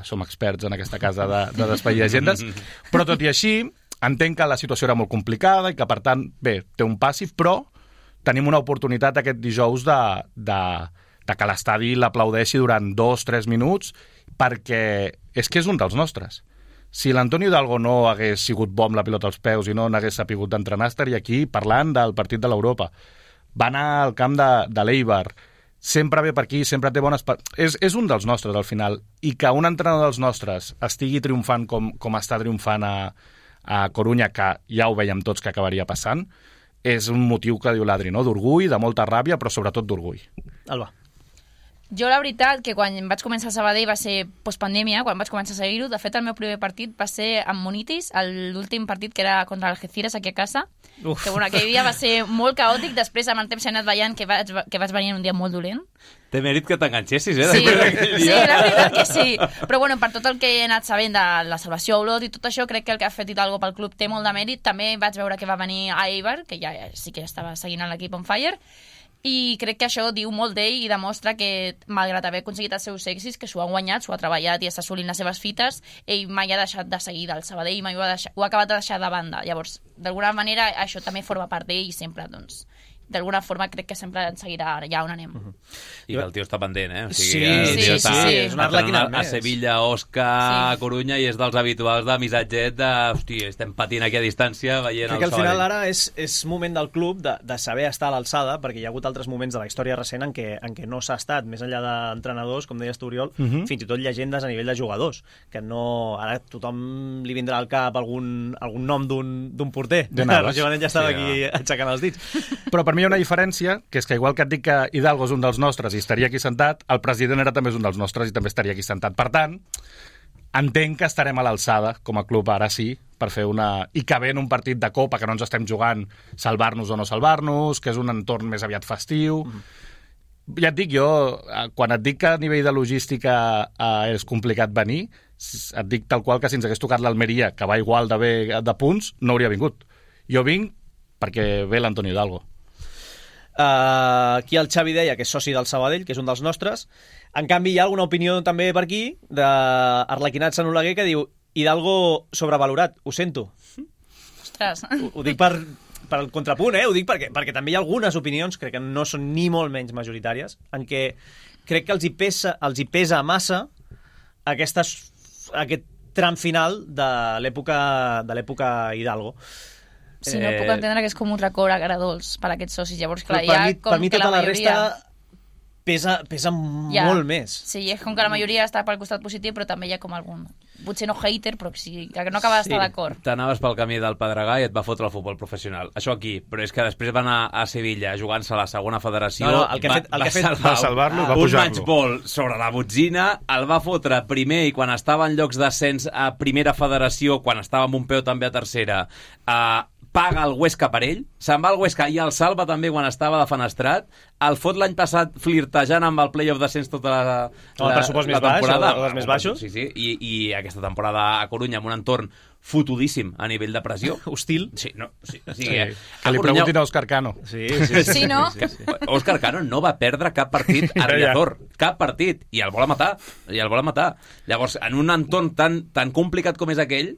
som experts en aquesta casa de despedir llegendes, però tot i així entenc que la situació era molt complicada i que, per tant, bé, té un passiv, però tenim una oportunitat aquest dijous de que l'estadi l'aplaudeixi durant 2-3 minuts, perquè és que és un dels nostres. Si l'Antonio Hidalgo no hagués sigut bo amb la pilota als peus i no n'hagués sapigut d'entrenar, estaria aquí parlant del partit de l'Europa. Va anar al camp de l'Eibar, sempre ve per aquí, sempre té bones... És un dels nostres, al final. I que un entrenador dels nostres estigui triomfant com està triomfant a Corunya, que ja ho veiem tots que acabaria passant, és un motiu que diu l'Adri, no? D'orgull, de molta ràbia, però sobretot d'orgull. Alba. Jo, la veritat, que quan vaig començar a Sabadell va ser postpandèmia, quan vaig començar a seguir-ho. De fet, el meu primer partit va ser amb Munitis, l'últim partit que era contra l'Algeciras aquí a casa. Que, bueno, aquell dia va ser molt caòtic. Després, amb el temps, he anat veient que vaig venir un dia molt dolent. Té mèrit que t'enganxessis, Sí, la veritat que sí. Però, bueno, per tot el que he anat sabent de la salvació a Olot i tot això, crec que el que ha fet Hidalgo pel club té molt de mèrit. També vaig veure que va venir a Eibar, que ja sí que estava seguint l'equip on fire, i crec que això diu molt d'ell i demostra que, malgrat haver aconseguit els seus èxits, que s'ho ha guanyat, s'ho ha treballat i està assolint les seves fites, ell mai ha deixat de seguir del Sabadell, mai ho ha acabat de deixar de banda. Llavors, d'alguna manera, això també forma part d'ell i sempre, doncs, d'alguna forma crec que sempre ens seguirà allà on anem. I que el tio està pendent, eh? O Sí, sigui, el tio està és un arlequinat a més. Sevilla, Osca, a Corunya, i és dels habituals de missatget de, hosti, estem patint aquí a distància veient Crec el que al final Sabadell. ara és moment del club de saber estar a l'alçada, perquè hi ha hagut altres moments de la història recent en què no s'ha estat, més enllà d'entrenadors, com deies tu, Oriol, fins i tot llegendes a nivell de jugadors, que no... Ara tothom li vindrà al cap algun nom d'un porter. Navas. Joanet ja estava aquí aixecant els dits. Però per mi hi ha una diferència, que és que igual que et dic que Hidalgo és un dels nostres i estaria aquí sentat, el president era també és un dels nostres i també estaria aquí sentat. Per tant, entenc que estarem a l'alçada, com a club, ara sí, per fer una... I que ve en un partit de Copa que no ens estem jugant salvar-nos o no salvar-nos, que és un entorn més aviat festiu... Ja et dic, jo, quan et dic que a nivell de logística és complicat venir, et dic tal qual que si ens hagués tocat l'Almeria, que va igual de bé de punts, no hauria vingut. Jo vinc perquè ve l'Antonio Hidalgo. Aquí el Xavi deia que és soci del Sabadell, que és un dels nostres. En canvi, hi ha alguna opinió també per aquí d'Arlequinat Sant Oleguer que diu Hidalgo sobrevalorat. Ho sento. Ostres. Ho dic per el contrapunt, ho dic perquè també hi ha algunes opinions, crec que no són ni molt menys majoritàries, en què crec que els hi pesa massa aquest tram final de l'època Hidalgo. Sí, no puc entendre que és com un record agradolç per a aquests socis. Llavors, clar, per mi tota la resta pesa molt més. Sí, és com que la majoria està pel costat positiu, però també hi ha com algun... Potser no hater, però sí, que no acaba d'estar d'acord. T'anaves pel camí del Pedregà i et va fotre el futbol professional. Això aquí, però és que després va anar a Sevilla jugant-se a la segona federació. No, el que ha fet va salvar-lo i va pujar-lo. Un matchball sobre la botzina, el va fotre primer i quan estava en llocs d'ascens a primera federació, quan estava amb un peu també a tercera, paga el Huesca per ell, se'n va al Huesca i el salva també quan estava de fenestrat, el fot l'any passat flirtejant amb el play-off d'ascens tota la pressupost més baix, temporada. o els més baixos. Sí, i aquesta temporada a Corunya amb un entorn fotudíssim a nivell de pressió. Hostil. Sí, no, sí. Que li preguntin a Òscar Cano. Sí, no? Òscar Cano no va perdre cap partit a Riazor, cap partit, i el vol matar, Llavors, en un entorn tan complicat com és aquell,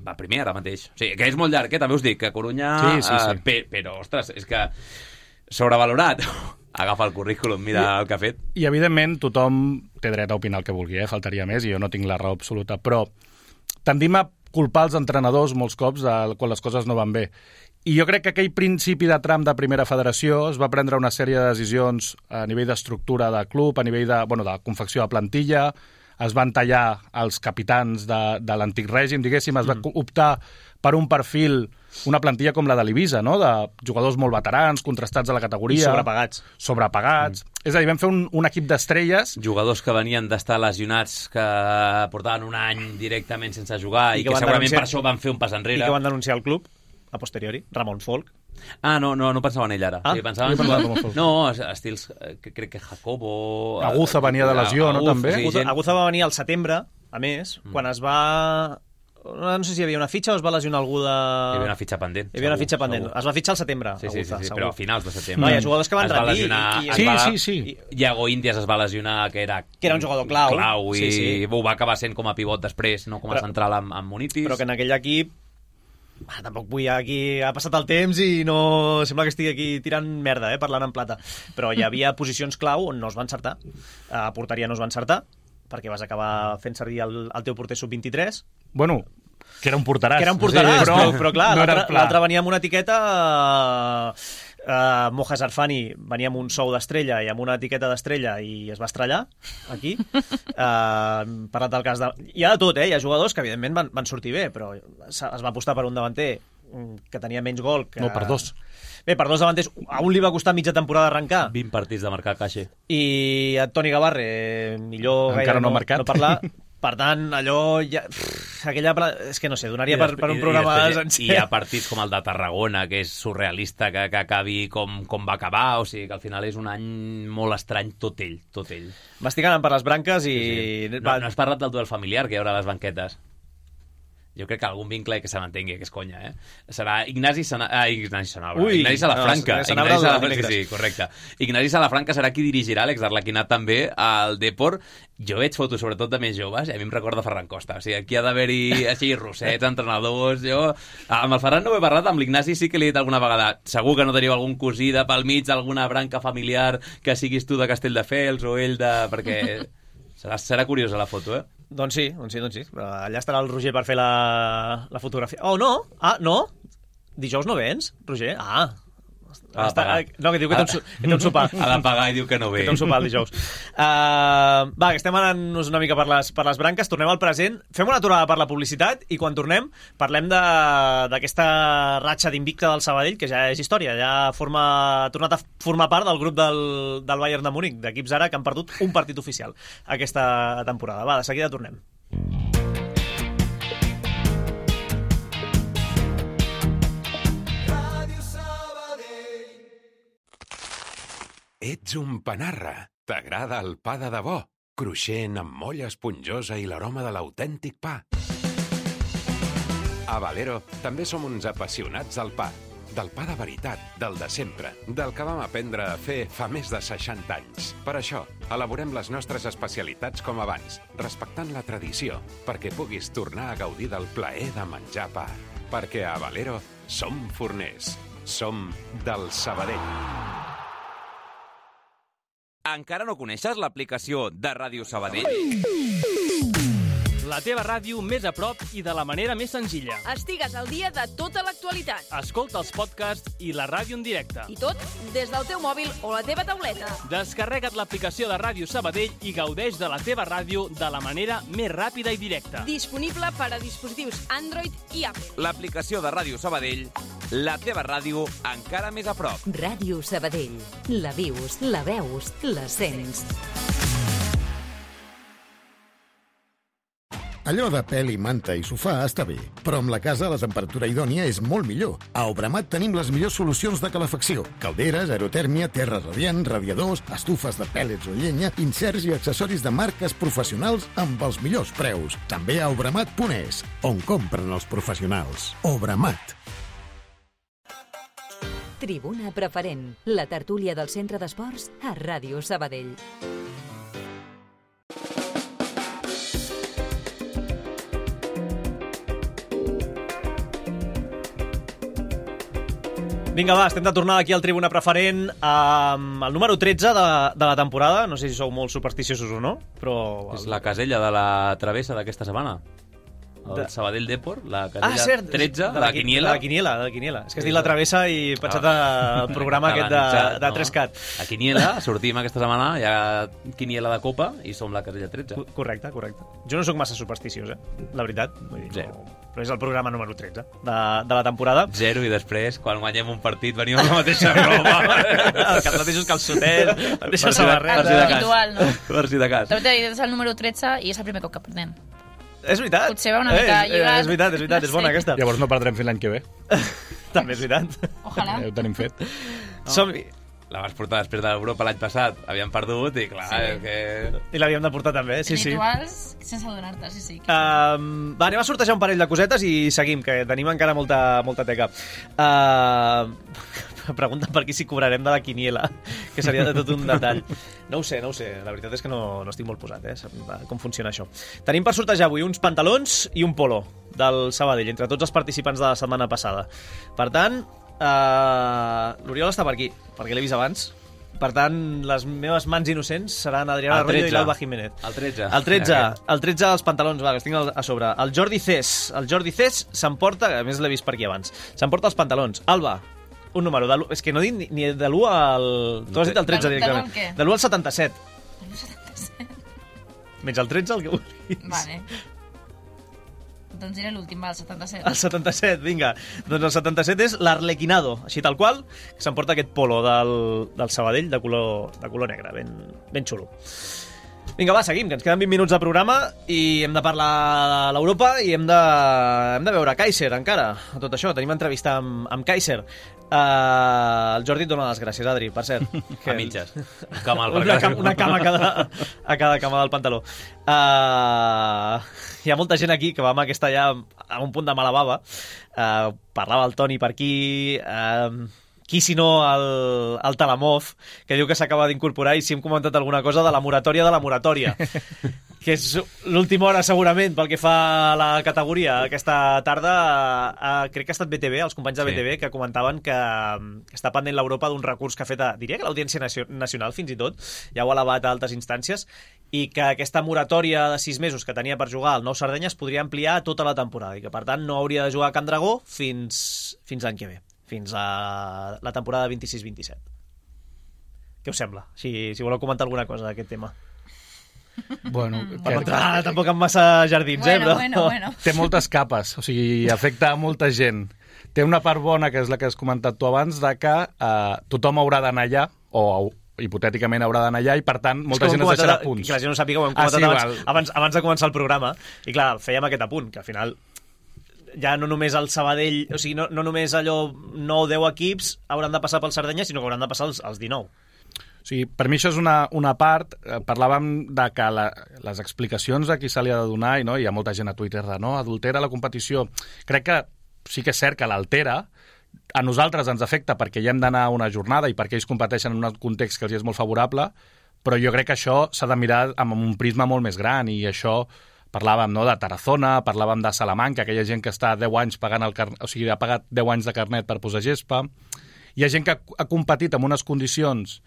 va primer ara mateix. O sigui, que és molt llarg, també us dic, que a Corunya... Sí. Però, ostres, és que sobrevalorat. Agafa el currículum, mira el que ha fet. I, evidentment, tothom té dret a opinar el que vulgui, faltaria més, i jo no tinc la raó absoluta, però tendim a culpar els entrenadors molts cops quan les coses no van bé. I jo crec que aquell principi de tram de primera federació es va prendre una sèrie de decisions a nivell d'estructura de club, a nivell de confecció de plantilla, es van tallar els capitans de l'antic règim, diguéssim, es va optar per un perfil, una plantilla com la de l'Ibiza, no? De jugadors molt veterans, contrastats a la categoria. I sobrepagats. És a dir, vam fer un equip d'estrelles. Jugadors que venien d'estar lesionats, que portaven un any directament sense jugar i que segurament per això van fer un pas enrere. I que van denunciar el club, a posteriori. Ramon Folk, No pensava en ell ara. Sí, pensava jo pensava com a Falcó. No, estils, crec que Jacobo... Aguza venia de lesió, no, també? Sí, Aguza va venir al setembre, a més, quan es va... No sé si hi havia una fitxa o es va lesionar algú de... Hi havia una fitxa pendent. Hi havia una fitxa pendent. Segur. Es va fitxar al setembre, Sí, Aguza, segur. però a finals de setembre. No, hi ha jugadors que van rendir. Sí. Iago Índies es va lesionar, que era un jugador clau. I ho va acabar sent com a pivot després, no com a central amb Munitis. Però que en aquell equip... tampoc vull aquí... Ha passat el temps i no... Sembla que estigui aquí tirant merda, parlant en plata. Però hi havia posicions clau on no es va encertar. A porteria no es va encertar, perquè vas acabar fent servir el teu porter sub-23. Bueno, que era un porteràs. Però clar, no l'altre venia amb una etiqueta... Moja Zarfani venia amb un sou d'estrella i amb una etiqueta d'estrella i es va estrellar aquí. Parlat del cas de... Hi ha de tot, hi ha jugadors que evidentment van sortir bé, però es va apostar per un davanter que tenia menys gol que... No, per dos. Bé, per dos davanters, a un li va costar mitja temporada arrencar. 20 partits de marcar Caixa. I a Toni Gavarre, millor encara gaire no ha marcat. No parlar. Per tant, allò... és que no sé, donaria per un programa sencer. I hi ha partits com el de Tarragona, que és surrealista, que acabi com va acabar, o sigui que al final és un any molt estrany, tot ell. Va estic anant per les branques i... Sí. No has parlat del duel familiar que hi haurà a les banquetes? Jo crec que algun vincle que se m'entengui, que és conya, Serà Ignasi Sanabra. Ignasi Salafranca. Sí, correcte. Ignasi Salafranca serà qui dirigirà, Àlex Arlequinat també, al Depor. Jo veig fotos, sobretot de més joves, i a mi em recorda Ferran Costa. O sigui, aquí ha d'haver-hi així rossets, entrenadors... Amb el Ferran no ho he parlat, amb l'Ignasi sí que li he dit alguna vegada. Segur que no teniu algun cosí de pel mig, alguna branca familiar que siguis tu de Castelldefels o ell de... perquè serà curiosa la foto, Doncs sí. Allà estarà el Roger per fer la fotografia. Oh, no? No? Dijous no vens, Roger? No, que diu que té un sopar. Ha de pagar i diu que no ve. Que té un sopar el dijous. Va, que estem anant-nos una mica per les branques. Tornem al present. Fem una aturada per la publicitat i quan tornem parlem d'aquesta ratxa d'invicta del Sabadell, que ja és història. Ja ha tornat a formar part del grup del Bayern de Múnich, d'equips ara que han perdut un partit oficial aquesta temporada. Va, de seguida tornem. Ets un panarra. T'agrada el pa de debò? Cruixent, amb molla esponjosa i l'aroma de l'autèntic pa. A Valero també som uns apassionats del pa. Del pa de veritat, del de sempre, del que vam aprendre a fer fa més de 60 anys. Per això, elaborem les nostres especialitats com abans, respectant la tradició, perquè puguis tornar a gaudir del plaer de menjar pa. Perquè a Valero som forners. Som del Sabadell. Encara no coneixes l'aplicació de Ràdio Sabadell? La teva ràdio més a prop i de la manera més senzilla. Estigues al dia de tota l'actualitat. Escolta els podcasts i la ràdio en directe. I tot des del teu mòbil o la teva tauleta. Descarrega't l'aplicació de Ràdio Sabadell i gaudeix de la teva ràdio de la manera més ràpida i directa. Disponible per a dispositius Android i Apple. L'aplicació de Ràdio Sabadell, la teva ràdio encara més a prop. Ràdio Sabadell. La vius, la veus, la sents. Allò de pèl i manta i sofà està bé, però amb la casa la temperatura idònia és molt millor. A Obramat tenim les millors solucions de calefacció. Calderes, aerotèrmia, terra radiant, radiadors, estufes de pèl·lets o llenya, inserts i accessoris de marques professionals amb els millors preus. També a obramat.es, on compren els professionals. Obramat. Tribuna Preferent, la tertúlia del Centre d'Esports a Ràdio Sabadell. Vinga, va, estem de tornar aquí al Tribuna Preferent amb el número 13 de la temporada. No sé si sou molt supersticiosos o no, però... És la casella de la travessa d'aquesta setmana. El Sabadell Depor, la casella cert, 13, de la Quiniela. De la Quiniela. És que has dit la travessa i he pensat el programa aquest de 3CAT. A Quiniela, sortim aquesta setmana, hi ha Quiniela de Copa i som la casella 13. Correcte. Jo no sóc massa supersticiós, la veritat. Vull dir, Zero. Però és el programa número 13 de la temporada. 0 i després, quan guanyem un partit, venim amb la mateixa roba. Els mateixos calçotets, la mateixa samarreta. Habitual, no? Per si de cas. També és el número 13 i és el primer cop que perdem. És veritat. Potser va una mica lligat. És veritat, és bona aquesta. Llavors no perdrem fins l'any que ve. També és veritat. Ojalà. Ho tenim fet. Som-hi. La vas portar després de l'Europa l'any passat, havíem perdut i clar, és que... I l'havíem de portar també, sí. Rituals sense adonar-te, sí. Va, anem a sortejar un parell de cosetes i seguim, que tenim encara molta teca. Pregunten per aquí si cobrarem de la quiniela, que seria de tot un detall. No ho sé, la veritat és que no estic molt posat, com funciona això. Tenim per sortejar avui uns pantalons i un polo del Sabadell, entre tots els participants de la setmana passada. Per tant, l'Oriol està per aquí, perquè l'he vist abans. Per tant, les meves mans innocents seran Adriana Arroyo i l'Alba Jiménez. El 13. El 13 dels pantalons, va, que els tinc a sobre. El Jordi Cés s'emporta, a més l'he vist per aquí abans, s'emporta els pantalons. Alba, un número, és que no dic ni de l'1 al... Tu has dit el 13 directament. De l'1 al 77. De l'1 al 77? Menys el 13, el que vulguis. Vale. Doncs diré l'últim, el 77. El 77, vinga. Doncs el 77 és l'Arlequinado, així tal qual, que s'emporta aquest polo del Sabadell de color negre, ben xulo. Vinga, va, seguim, que ens queden 20 minuts de programa i hem de parlar de l'Europa i hem de veure Kaiser encara, a tot això. Tenim entrevista amb Kaiser. El Jordi et dona les gràcies, Adri, per cert. Que... A mitges. Camal, una cama a cada cama del pantaló. Hi ha molta gent aquí que va amb aquesta ja a un punt de mala bava. Parlava el Toni per aquí... Qui si no el Talamov, que diu que s'acaba d'incorporar i si hem comentat alguna cosa de la moratòria, que és l'última hora segurament pel que fa a la categoria. Aquesta tarda crec que ha estat BTV, els companys de BTV, que comentaven que està pendent l'Europa d'un recurs que ha fet, diria que l'Audiència Nacional fins i tot, ja ho ha elevat a altes instàncies, i que aquesta moratòria de 6 mesos que tenia per jugar al Nou Sardenya es podria ampliar a tota la temporada i que per tant no hauria de jugar a Can Dragó fins l'any que ve, fins a la temporada 26-27. Què us sembla? Si voleu comentar alguna cosa d'aquest tema. Bueno, tampoc amb massa jardins, bueno. Té moltes capes, o sigui, afecta a molta gent. Té una part bona, que és la que has comentat tu abans, de que tothom haurà d'anar allà, o hipotèticament haurà d'anar allà, i per tant molta gent es deixarà punts. Que la gent no sàpiga, ho hem comentat abans de començar el programa, i clar, fèiem aquest apunt, que al final ja no només el Sabadell, o sigui, no només allò 9-10 equips hauran de passar pel Sardenya, sinó que hauran de passar els 19. O sigui, per mi això és una part. Parlàvem de que les explicacions a qui se li ha de donar, i no, hi ha molta gent a Twitter de no, adultera la competició. Crec que sí que és cert que l'altera, a nosaltres ens afecta perquè hi hem d'anar a una jornada i perquè ells competeixen en un context que els és molt favorable, però jo crec que això s'ha de mirar amb un prisma molt més gran, i això parlàvem, no, de Tarazona, parlàvem de Salamanca, aquella gent que està 10 anys pagant o sigui, ha pagat 10 anys de carnet per posar gespa. Hi ha gent que ha competit en unes condicions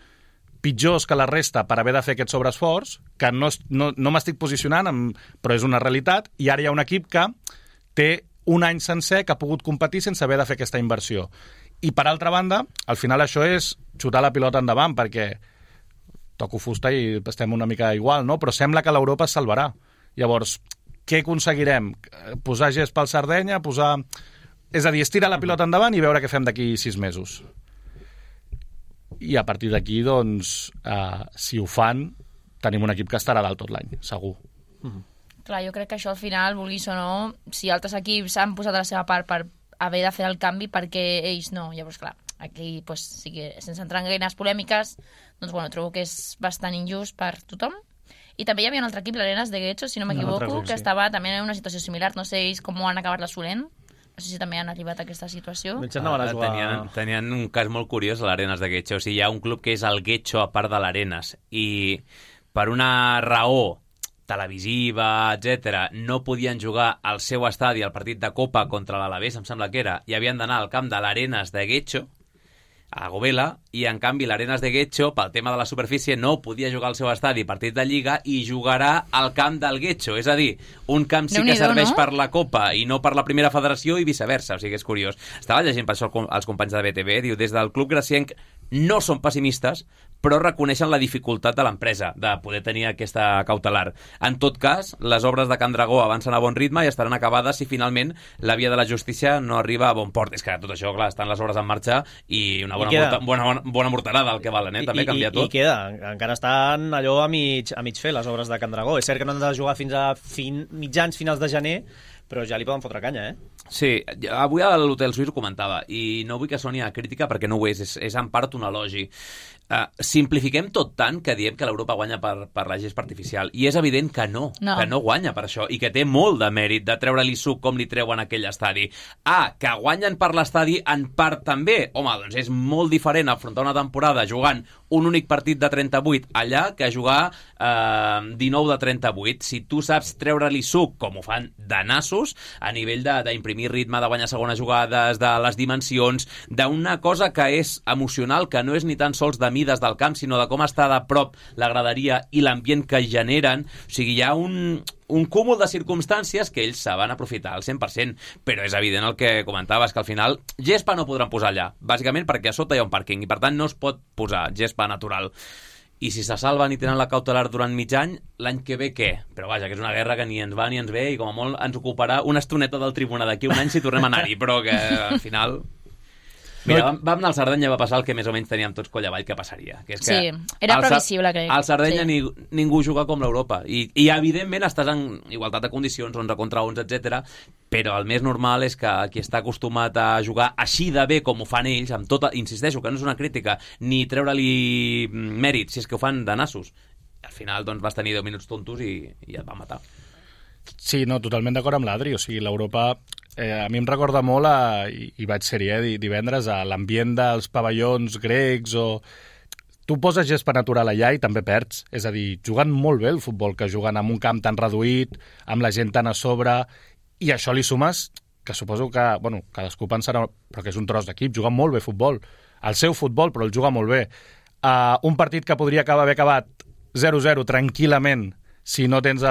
pitjors que la resta per haver de fer aquest sobreesforç, que no m'estic posicionant, però és una realitat, i ara hi ha un equip que té un any sencer que ha pogut competir sense haver de fer aquesta inversió. I per altra banda, al final això és xutar la pilota endavant, perquè toco fusta i estem una mica igual, no? Però sembla que l'Europa es salvarà. Llavors, què aconseguirem? Posar gest pel Sardenya, és a dir, estirar la pilota endavant i veure què fem d'aquí 6 mesos. I a partir d'aquí, doncs, si ho fan, tenim un equip que estarà dalt tot l'any, segur. Clar, jo crec que això al final, vulguis o no, si altres equips han posat de la seva part per haver de fer el canvi, perquè ells no. Llavors, clar, aquí, pues, sí que, sense entrar en gaires polèmiques, doncs, bueno, trobo que és bastant injust per tothom. I també hi havia un altre equip, l'Arenas de Guecho, si no m'equivoco, que estava també en una situació similar. No sé ells com ho han acabat l'assolent. No sé si també han arribat a aquesta situació. Tenien un cas molt curiós a l'Arenas de Guecho. O sigui, hi ha un club que és el Guecho a part de l'Arenas. I per una raó televisiva, etc, no podien jugar al seu estadi al partit de Copa contra l'Alavés, em sembla que era, i havien d'anar al camp de l'Arenas de Guecho, a Govela, i en canvi l'Arenas de Guecho, pel tema de la superfície, no podia jugar al seu estadi partit de Lliga i jugarà al camp del Guecho. És a dir, un camp sí que serveix per la Copa i no per la primera federació i viceversa. O sigui, és curiós. Estava llegint per això els companys de BTV, diu, des del club gracienc no són pessimistes, però reconeixen la dificultat de l'empresa de poder tenir aquesta cautelar. En tot cas, les obres de Can Dragó avancen a bon ritme i estaran acabades si finalment la via de la justícia no arriba a bon port. És que tot això, clar, estan les obres en marxa i una bona morterada el que valen, també canvia tot. I queda, encara estan allò a mig fer les obres de Can Dragó. És cert que no han de jugar fins a finals de gener, però ja li poden fotre canya, Sí, avui a l'Hotel Suís ho comentava, i no vull que soni a crítica perquè no ho és en part un elogi. Simplifiquem tot tant que diem que l'Europa guanya per la gespa artificial, i és evident que no guanya per això, i que té molt de mèrit de treure-li suc com li treuen aquell estadi. Que guanyen per l'estadi en part també, home, doncs és molt diferent afrontar una temporada jugant un únic partit de 38 allà que jugar 19 de 38. Si tu saps treure-li suc, com ho fan de nassos, a nivell d'imprimir ritme, de guanyar segones jugades, de les dimensions, d'una cosa que és emocional, que no és ni tan sols de mides del camp, sinó de com està de prop la graderia i l'ambient que generen. O sigui, hi ha un cúmul de circumstàncies que ells saben aprofitar al 100%, però és evident el que comentaves, que al final gespa no podran posar allà, bàsicament perquè a sota hi ha un pàrquing i per tant no es pot posar gespa natural. I si se salven i tenen la cautelar durant mig any, l'any que ve què? Però vaja, que és una guerra que ni ens va ni ens ve i com a molt ens ocuparà una estoneta del tribuna d'aquí un any si tornem a anar-hi, però que al final... Mira, vam anar al Sardenya, va passar el que més o menys teníem tots coll avall que passaria. Que és que era previsible, crec. Al Sardenya ningú juga com l'Europa. I evidentment estàs en igualtat de condicions, 11 contra 11, etc. Però el més normal és que qui està acostumat a jugar així de bé com ho fan ells, amb tota, insisteixo, que no és una crítica, ni treure-li mèrit, si és que ho fan de nassos. Al final doncs, vas tenir 10 minuts tontos i et va matar. Sí, no, totalment d'acord amb l'Adri. O sigui, l'Europa... a mi em recorda molt, i vaig ser-hi divendres, a l'ambient dels pavellons grecs o... Tu poses gespa natural allà i també perds. És a dir, juguen molt bé el futbol, que juguen en un camp tan reduït, amb la gent tan a sobre, i això li sumes, que suposo que, bueno, cadascú pensarà, però que és un tros d'equip, juguen molt bé futbol. El seu futbol, però el juga molt bé. Un partit que podria haver acabat 0-0 tranquil·lament, si no tens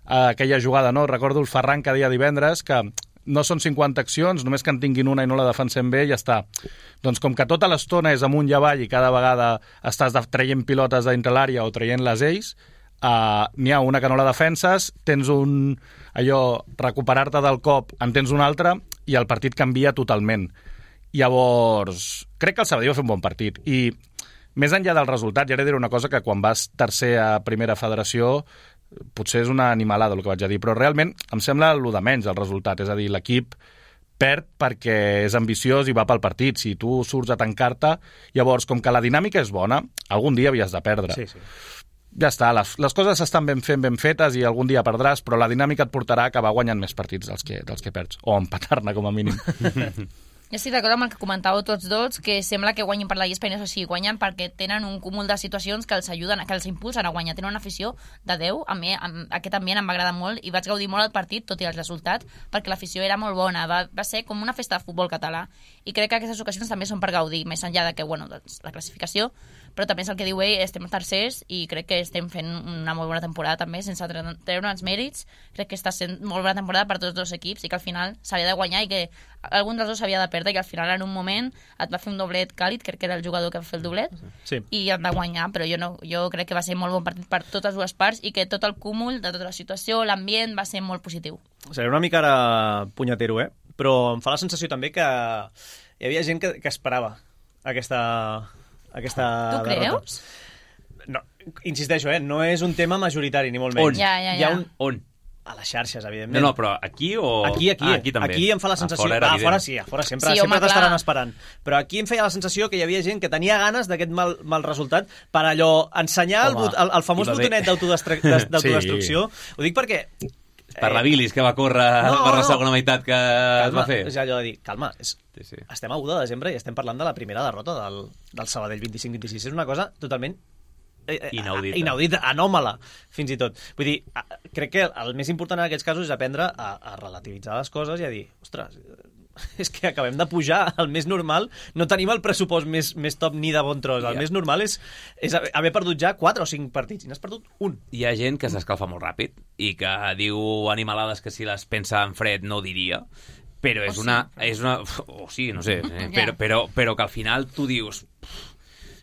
aquella jugada, no? Recordo el Ferran que deia divendres que no són 50 accions, només que en tinguin una i no la defensem bé i ja està. Doncs com que tota l'estona és amunt i avall i cada vegada estàs traient pilotes dintre l'àrea o traient les ells, n'hi ha una que no la defenses, tens recuperar-te del cop, en tens un altre i el partit canvia totalment. Llavors, crec que el Sabadell va fer un bon partit i més enllà del resultat, ja diré una cosa que quan vas tercer a primera federació potser és una animalada el que vaig a dir, però realment em sembla el de menys el resultat, és a dir, l'equip perd perquè és ambiciós i va pel partit. Si tu surts a tancar-te, llavors, com que la dinàmica és bona, algun dia havies de perdre. Sí. Ja està, les coses estan ben fetes i algun dia perdràs, però la dinàmica et portarà a acabar guanyant més partits dels que perds, o empatar-ne com a mínim. Jo estic d'acord amb el que comentàveu tots dos, que sembla que guanyin per la gespa i no és així, guanyen perquè tenen un cúmul de situacions que els ajuden, que els impulsen a guanyar. Tenen una afició de 10, a mi aquest ambient em va agradar molt i vaig gaudir molt el partit, tot i el resultat, perquè l'afició era molt bona, va ser com una festa de futbol català, i crec que aquestes ocasions també són per gaudir, més enllà de que, bueno, doncs, la classificació, però també és el que diu ell, estem tercers i crec que estem fent una molt bona temporada també, sense treure els mèrits. Crec que està sent molt bona temporada per tots dos equips i que al final s'havia de guanyar i que algun dels dos s'havia de perdre i que al final en un moment et va fer un doblet càlid, crec que era el jugador que va fer el doblet, i han de guanyar, però jo crec que va ser molt bon partit per totes dues parts i que tot el cúmul de tota la situació, l'ambient, va ser molt positiu. Seré una mica ara punyetero, però em fa la sensació també que hi havia gent que esperava aquesta Tu creus? No, insisteixo, no és un tema majoritari, ni molt menys. Ja. Hi ha on? A les xarxes, evidentment. No, però aquí o... Aquí. Aquí també. Aquí em fa la sensació... A fora sí, a fora sempre t'estaran esperant. Però aquí em feia la sensació que hi havia gent que tenia ganes d'aquest mal resultat per allò ensenyar el famós botonet d'autodestrucció. Ho dic perquè... Per la bilis que va córrer per la segona meitat que es va fer. És allò de dir, calma, estem a 1 de desembre i estem parlant de la primera derrota del Sabadell 25-26. És una cosa totalment inaudita, anòmala, fins i tot. Vull dir, crec que el més important en aquests casos és aprendre a relativitzar les coses i a dir, ostres, és que acabem de pujar, el més normal, no tenim el pressupost més top ni de bon tros, el més normal és haver perdut ja 4 o 5 partits, i n'has perdut un. Hi ha gent que s'escalfa molt ràpid i que diu animalades que si les pensa en fred no diria, però és una... O sí, no sé, però que al final tu dius...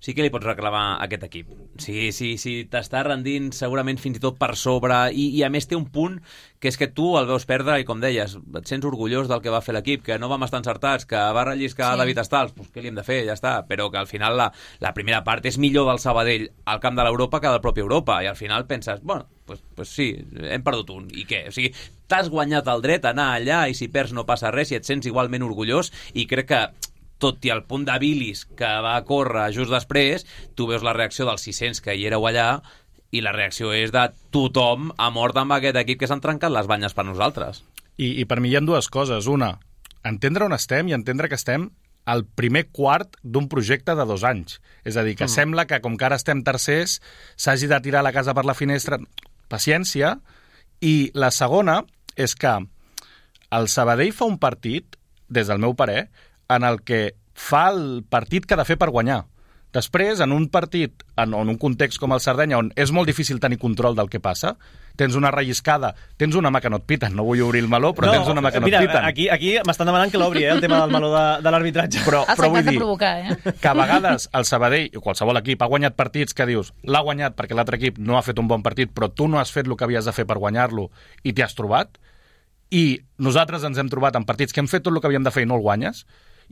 sí que li pots reclamar a aquest equip. Sí, t'està rendint segurament fins i tot per sobre, i a més té un punt que és que tu el veus perdre i, com deies, et sents orgullós del que va fer l'equip, que no vam estar encertats, que va relliscar David Stals, doncs què li hem de fer? Ja està. Però que al final la primera part és millor del Sabadell al camp de l'Europa que del propi Europa, i al final penses, bueno, pues sí, hem perdut un, i què? O sigui, t'has guanyat el dret a anar allà i si perds no passa res i et sents igualment orgullós, i crec que tot i el punt de bilis que va córrer just després, tu veus la reacció dels 600 que hi éreu allà, i la reacció és de tothom a mort amb aquest equip que s'han trencat les banyes per nosaltres. I per mi hi ha dues coses. Una, entendre on estem i entendre que estem al primer quart d'un projecte de 2 anys. És a dir, que sembla que com que ara estem tercers s'hagi de tirar la casa per la finestra. Paciència. I la segona és que el Sabadell fa un partit, des del meu parer, en el que fa el partit que ha de fer per guanyar. Després, en un partit, en un context com el Sardenya, on és molt difícil tenir control del que passa, tens una relliscada, tens una mà que no et piten, no vull obrir el meló, però tens una mà que no et piten. Aquí m'estan demanant que l'obri, el tema del meló de l'arbitratge. Però vull dir provocar, que a vegades el Sabadell, o qualsevol equip, ha guanyat partits que dius, l'ha guanyat perquè l'altre equip no ha fet un bon partit, però tu no has fet el que havies de fer per guanyar-lo i t'hi has trobat, i nosaltres ens hem trobat en partits que hem fet tot el que havíem de fer i no el guanyes.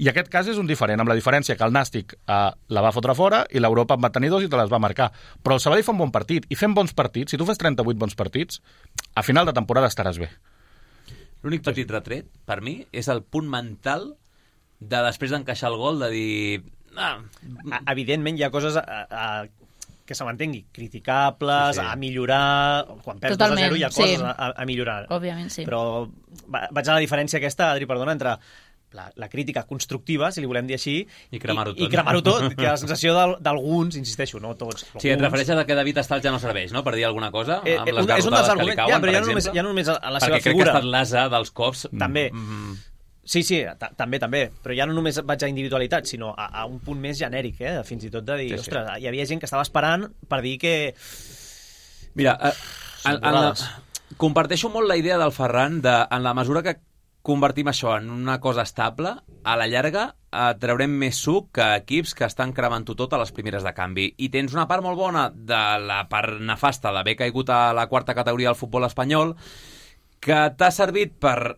I aquest cas és un diferent, amb la diferència que el Nàstic la va fotre fora i l'Europa en va tenir 2 i te les va marcar. Però el Sabadell fa un bon partit, i fent bons partits, si tu fes 38 bons partits, a final de temporada estaràs bé. L'únic petit retret, per mi, és el punt mental de després d'encaixar el gol, de dir... Evidentment hi ha coses que se m'entengui, criticables, a millorar... Quan perds 2-0 hi ha coses a millorar. Òbviament, sí. Però vaig a la diferència aquesta, Adri, perdona, entre la crítica constructiva, si li volem dir així, i cremar-ho tot. I cremar-ho tot, que la sensació d'alguns, insisteixo, no tots. Sí, et refereixes a que David Stals ja no serveix, no?, per dir alguna cosa, amb les garrotades que li cauen, per exemple. Ja no només a la seva figura. Perquè crec que ha estat l'asa dels cops. També. Sí, també. Però ja no només vaig a individualitat, sinó a un punt més genèric, fins i tot de dir, ostres, hi havia gent que estava esperant per dir que... Mira, comparteixo molt la idea del Ferran en la mesura que convertim això en una cosa estable, a la llarga traurem més suc que equips que estan cremant-ho tot a les primeres de canvi. I tens una part molt bona de la part nefasta d'haver caigut a la 4ª categoria del futbol espanyol, que t'ha servit per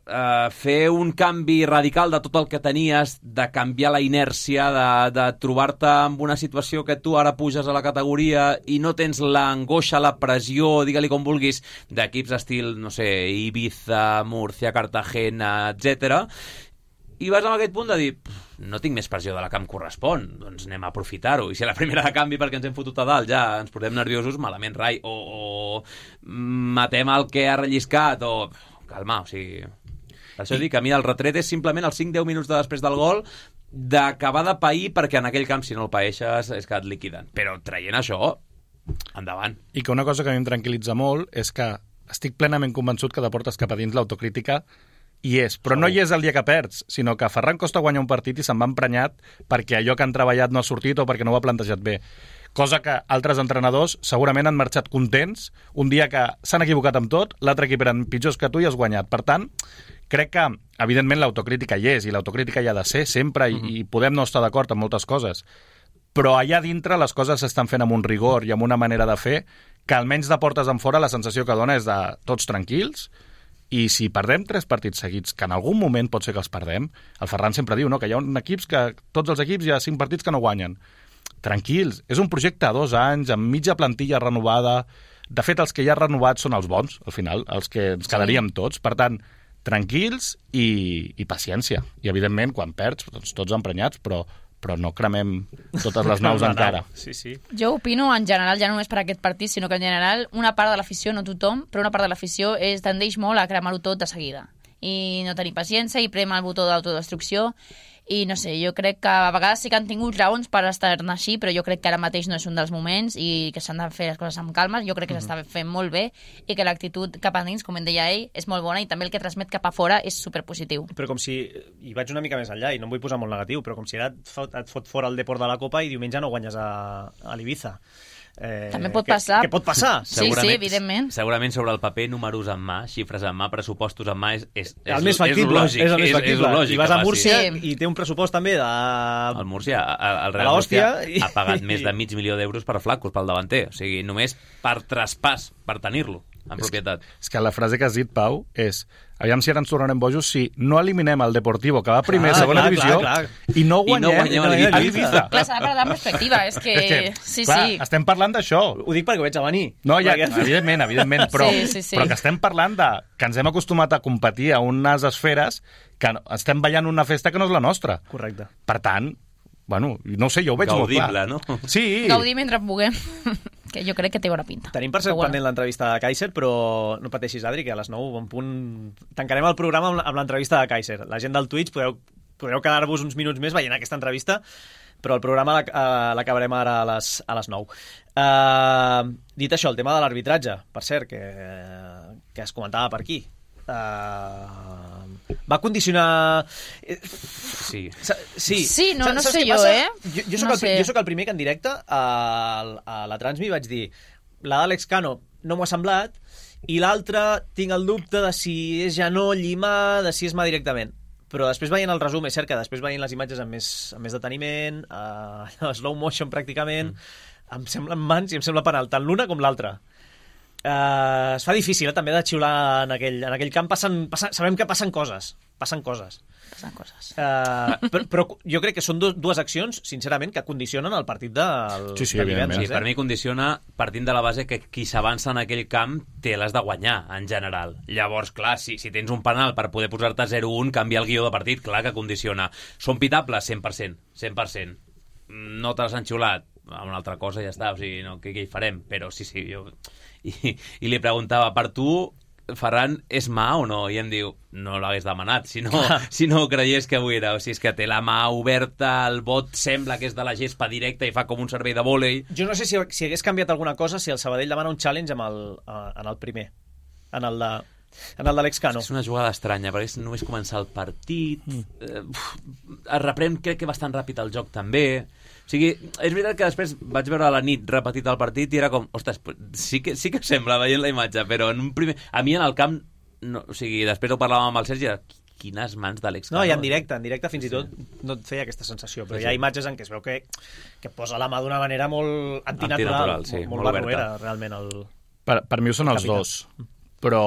fer un canvi radical de tot el que tenies, de canviar la inèrcia, de trobar-te en una situació que tu ara puges a la categoria i no tens l'angoixa, la pressió, digue-li com vulguis, d'equips estil, no sé, Ibiza, Murcia, Cartagena, etc. I vas amb aquest punt de dir, no tinc més pressió de la que em correspon, doncs anem a aprofitar-ho. I si a la primera de canvi perquè ens hem fotut a dalt ja ens posem nerviosos, malament rai, o matem el que ha relliscat, o calma, o sigui... Per això dic que a mi el retret és simplement els 5-10 minuts després del gol d'acabar de pair, perquè en aquell camp si no el paeixes és que et liquiden. Però traient això, endavant. I que una cosa que a mi em tranquil·litza molt és que estic plenament convençut que de portes cap a dins l'autocrítica hi és, però no hi és el dia que perds, sinó que Ferran Costa guanya un partit i se'n va emprenyat perquè allò que han treballat no ha sortit o perquè no ho ha plantejat bé. Cosa que altres entrenadors segurament han marxat contents un dia que s'han equivocat amb tot, l'altre equip eren pitjors que tu i has guanyat. Per tant, crec que, evidentment, l'autocrítica hi és, i l'autocrítica hi ha de ser sempre, i podem no estar d'acord amb moltes coses. Però allà dintre les coses s'estan fent amb un rigor i amb una manera de fer que almenys de portes en fora la sensació que dona és de tots tranquils. I si perdem 3 partits seguits, que en algun moment pot ser que els perdem, el Ferran sempre diu, no?, que hi ha equips que, tots els equips, hi ha 5 partits que no guanyen. Tranquils, és un projecte a 2 anys, amb mitja plantilla renovada. De fet, els que ja han renovat són els bons, al final, els que ens quedaríem tots. Per tant, tranquils i paciència. I, evidentment, quan perds, doncs, tots emprenyats, però no cremem totes les naus encara. Sí. Jo opino en general, ja no només per aquest partit, sinó que en general una part de l'afició, no tothom, però una part de l'afició tendeix molt a cremar-ho tot de seguida. I no tenir paciència i prema el botó d'autodestrucció. I no sé, jo crec que a vegades sí que han tingut raons per estar-ne així, però jo crec que ara mateix no és un dels moments i que s'han de fer les coses amb calma. Jo crec que s'està fent molt bé i que l'actitud cap a dins, com en deia ell, és molt bona i també el que transmet cap a fora és superpositiu. Però com si, i vaig una mica més enllà i no em vull posar molt negatiu, però com si ara et fot fora el Deport de la Copa i diumenge no guanyes a l'Ibiza. També pot passar. Que pot passar. Sí, evidentment. Segurament sobre el paper, números en mà, xifres en mà, pressupostos en mà, és el més factible. És el més factible. I vas a Múrcia i té un pressupost també de... El Múrcia, el Real Múrcia ha pagat més de €500.000 per Flacos, pel davanter. O sigui, només per traspàs, per tenir-lo en propietat. És que la frase que has dit, Pau, és aviam si ara ens tornarem bojos si no eliminem el Deportivo, que va primer, segona divisió, i no guanyem a l'Ibiza. Clar, s'ha de parlar en perspectiva, és que... Sí, clar, sí. estem parlant d'això. Ho dic perquè ho veig a venir. No, ja, evidentment, però, sí. però que estem parlant de que ens hem acostumat a competir a unes esferes que estem ballant una festa que no és la nostra. Correcte. Per tant, bueno, no sé, jo ho veig Gaudible, molt clar. No? Sí. Gaudir mentre puguem. Que jo crec que té bona pinta. Tenim per cert pendent l'entrevista de Kaiser, però no pateixis, Adri, que a les 9 en punt tancarem el programa amb l'entrevista de Kaiser. La gent del Twitch podeu quedar-vos uns minuts més veient aquesta entrevista, però el programa l'acabarem ara a les 9. Dit això, el tema de l'arbitratge, per cert, que es comentava per aquí. Va condicionar... Sí, no sé jo, Jo soc el primer que en directe a la Transmi vaig dir la d'Àlex Cano no m'ho ha semblat i l'altre tinc el dubte de si és genoll i mà, de si és mà directament. Però després veient el resum, és cert que després veient les imatges amb més deteniment, slow motion pràcticament, em semblen mans i em sembla penal, tant l'una com l'altra. Es fa difícil també de xiular en aquell camp. Sabem que passen coses. Però jo crec que són dues accions, sincerament, que condicionen el partit del divendres. Sí, per mi condiciona partint de la base que qui s'avança en aquell camp té les de guanyar, en general. Llavors, clar, si tens un penal per poder posar-te 0-1, canviar el guió de partit, clar que condiciona. Són pitables? 100%. No te les han xiulat? Una altra cosa ja està, o sigui, no, què hi farem? Però sí, jo... I li preguntava, per tu, Ferran, és mà o no? I em diu, no l'hagués demanat, si no creies que avui era. O sigui, és que té la mà oberta, el bot sembla que és de la gespa directa i fa com un servei de vòlei. Jo no sé si hagués canviat alguna cosa si el Sabadell demana un challenge en el primer, en el de l'Àlex Cano. És una jugada estranya, perquè és només començar el partit, es reprèn, crec que bastant ràpid el joc també. O sigui, és veritat que després vaig veure a la nit repetit el partit i era com, ostres, sí que sembla veient la imatge, però en un primer... A mi en el camp, no, o sigui, després ho parlàvem amb el Sergi, quines mans d'Àlex Cano. No, i en directe fins i tot no et feia aquesta sensació, però hi ha imatges en què es veu que posa la mà d'una manera molt antinatural, molt barroera, realment. Per mi ho són els dos, però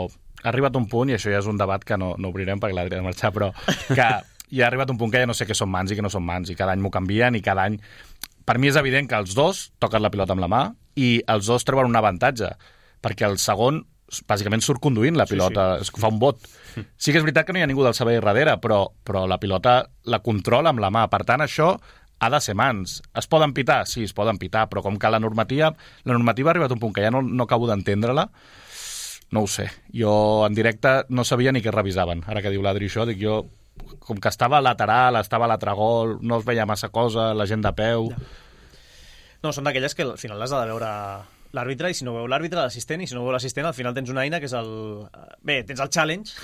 ha arribat un punt, i això ja és un debat que no obrirem perquè l'Adri ha de marxar, però que ja ha arribat un punt que ja no sé què són mans i què no són mans, i cada any m'ho canvien, i cada any... Per mi és evident que els dos toquen la pilota amb la mà i els dos treuen un avantatge, perquè el segon bàsicament surt conduint la pilota, fa un bot. Sí que és veritat que no hi ha ningú del Sabadell darrere, però la pilota la controla amb la mà. Per tant, això ha de ser mans. Es poden pitar? Sí, es poden pitar, però com que la normativa ha arribat a un punt que ja no acabo d'entendre-la, no ho sé. Jo en directe no sabia ni què revisaven. Ara que diu l'Adri això, dic jo... Com que estava lateral, estava a l'altre gol, no es veia massa cosa, la gent de peu... No, són d'aquelles que al final has de veure l'àrbitre, i si no veu l'àrbitre, l'assistent, i si no veu l'assistent, al final tens una eina que és el... Bé, tens el challenge,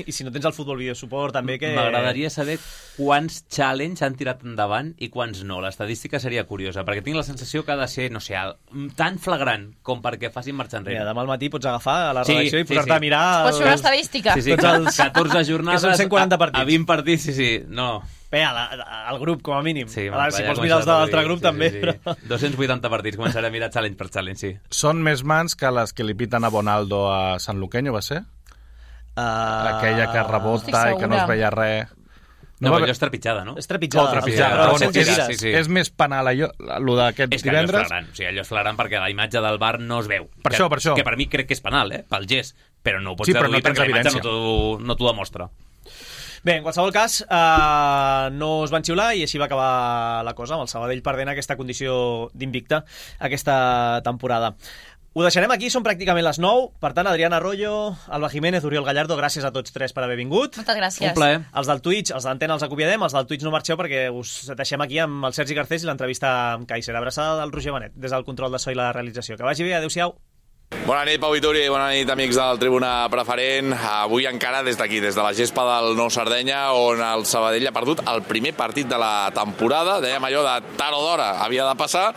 i si no tens el futbol video support també que... M'agradaria saber quants challenge han tirat endavant i quants no. L'estadística seria curiosa, perquè tinc la sensació que ha de ser, no sé, tan flagrant com perquè facin marxa enrere. Mira, demà al matí pots agafar a la redacció i posar-te a mirar... Pots fer una estadística. Sí, 14 jornades, que són 140 partits. A 20 partits, sí, no... Bé, al grup, com a mínim. Sí, ara, si vols mirar els de l'altre grup, també. Sí. Però... 280 partits, començaré a mirar challenge per challenge, sí. Són més mans que les que li piten a Bonaldo a San Luqueño, va ser? Aquella que rebota i que no es veia res. No, però allò és trepitjada, no? És trepitjada. És més penal allò d'aquest divendres. És que allò és flagrant. O sigui, allò és flagrant perquè la imatge del bar no es veu. Per això. Que per mi crec que és penal, pel gest. Però no ho pots deduir perquè la imatge no t'ho demostra. Bé, en qualsevol cas, no es van xiular i així va acabar la cosa, amb el Sabadell perdent aquesta condició d'invicte aquesta temporada. Ho deixarem aquí, són pràcticament les 9. Per tant, Adriana Arroyo, Alba Jiménez, Oriol Gallardo, gràcies a tots tres per haver vingut. Moltes gràcies. Un plaer. Els del Twitch, els d'Antena els acomiadem, els del Twitch no marxeu perquè us deixem aquí amb el Sergi Garcés i l'entrevista amb Kaiser. Abraçada del Roger Benet, des del control de so i la realització. Que vagi bé, adeu-siau. Bona nit, Pau Vituri, bona nit, amics del Tribuna Preferent. Avui encara des d'aquí, des de la gespa del Nou Sardenya, on el Sabadell ha perdut el primer partit de la temporada. Dèiem allò de tard o d'hora havia de passar,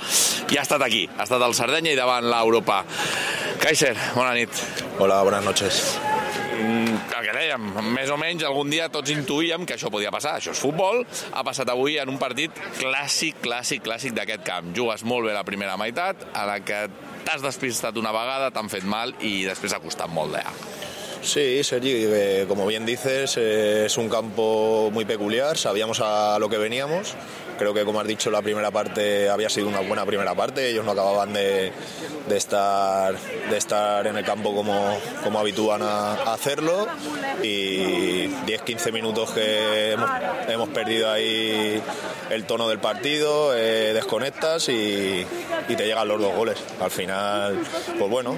i ha estat aquí. Ha estat el Sardenya i davant l'Europa. Kaiser, bona nit. Hola, buenas noches. El que dèiem, més o menys algun dia tots intuïem que això podia passar. Això és futbol. Ha passat avui en un partit clàssic d'aquest camp. Jugues molt bé la primera meitat, a la que t'has despistat una vegada, t'han fet mal i després ha costat molt d'allà. Sí, Sergi, como bien dices, es un campo muy peculiar, sabíamos a lo que veníamos. Creo que, como has dicho, la primera parte había sido una buena primera parte. Ellos no acababan de estar en el campo como habitúan a hacerlo. Y 10-15 minutos que hemos perdido ahí el tono del partido, desconectas y te llegan los 2 goles. Al final, pues bueno,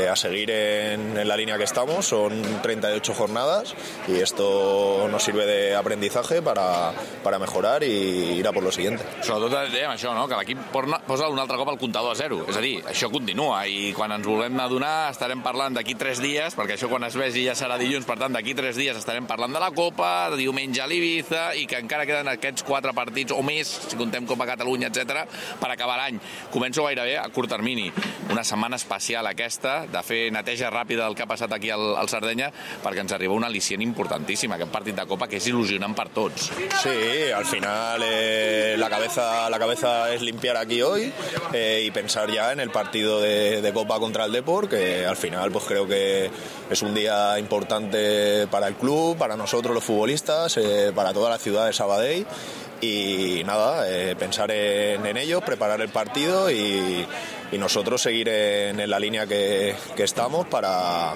a seguir en la línea que estamos. Son 38 jornadas y esto nos sirve de aprendizaje para mejorar y ir a por lo siguiente. Sobretot dèiem això, no? Que l'equip posa un altre cop el comptador a 0. És a dir, això continua i quan ens volem adonar estarem parlant d'aquí 3 dies, perquè això quan es vegi ja serà dilluns, per tant d'aquí 3 dies estarem parlant de la Copa, diumenge a l'Ibiza, i que encara queden aquests 4 partits o més, si contem Copa Catalunya, etc, per acabar l'any. Començo gairebé a curt termini. Una setmana especial aquesta, de fer neteja ràpida del que ha passat aquí al Sardenya, perquè ens arriba un al·licient importantíssim, aquest partit de Copa, que és il·lusionant per tots. Sí, al final la cabeza es limpiar aquí hoy y pensar ya en el partido de Copa contra el Depor, que al final pues creo que es un día importante para el club, para nosotros los futbolistas, para toda la ciudad de Sabadell. Y nada, pensar en ellos, preparar el partido y nosotros seguir en la línea que estamos para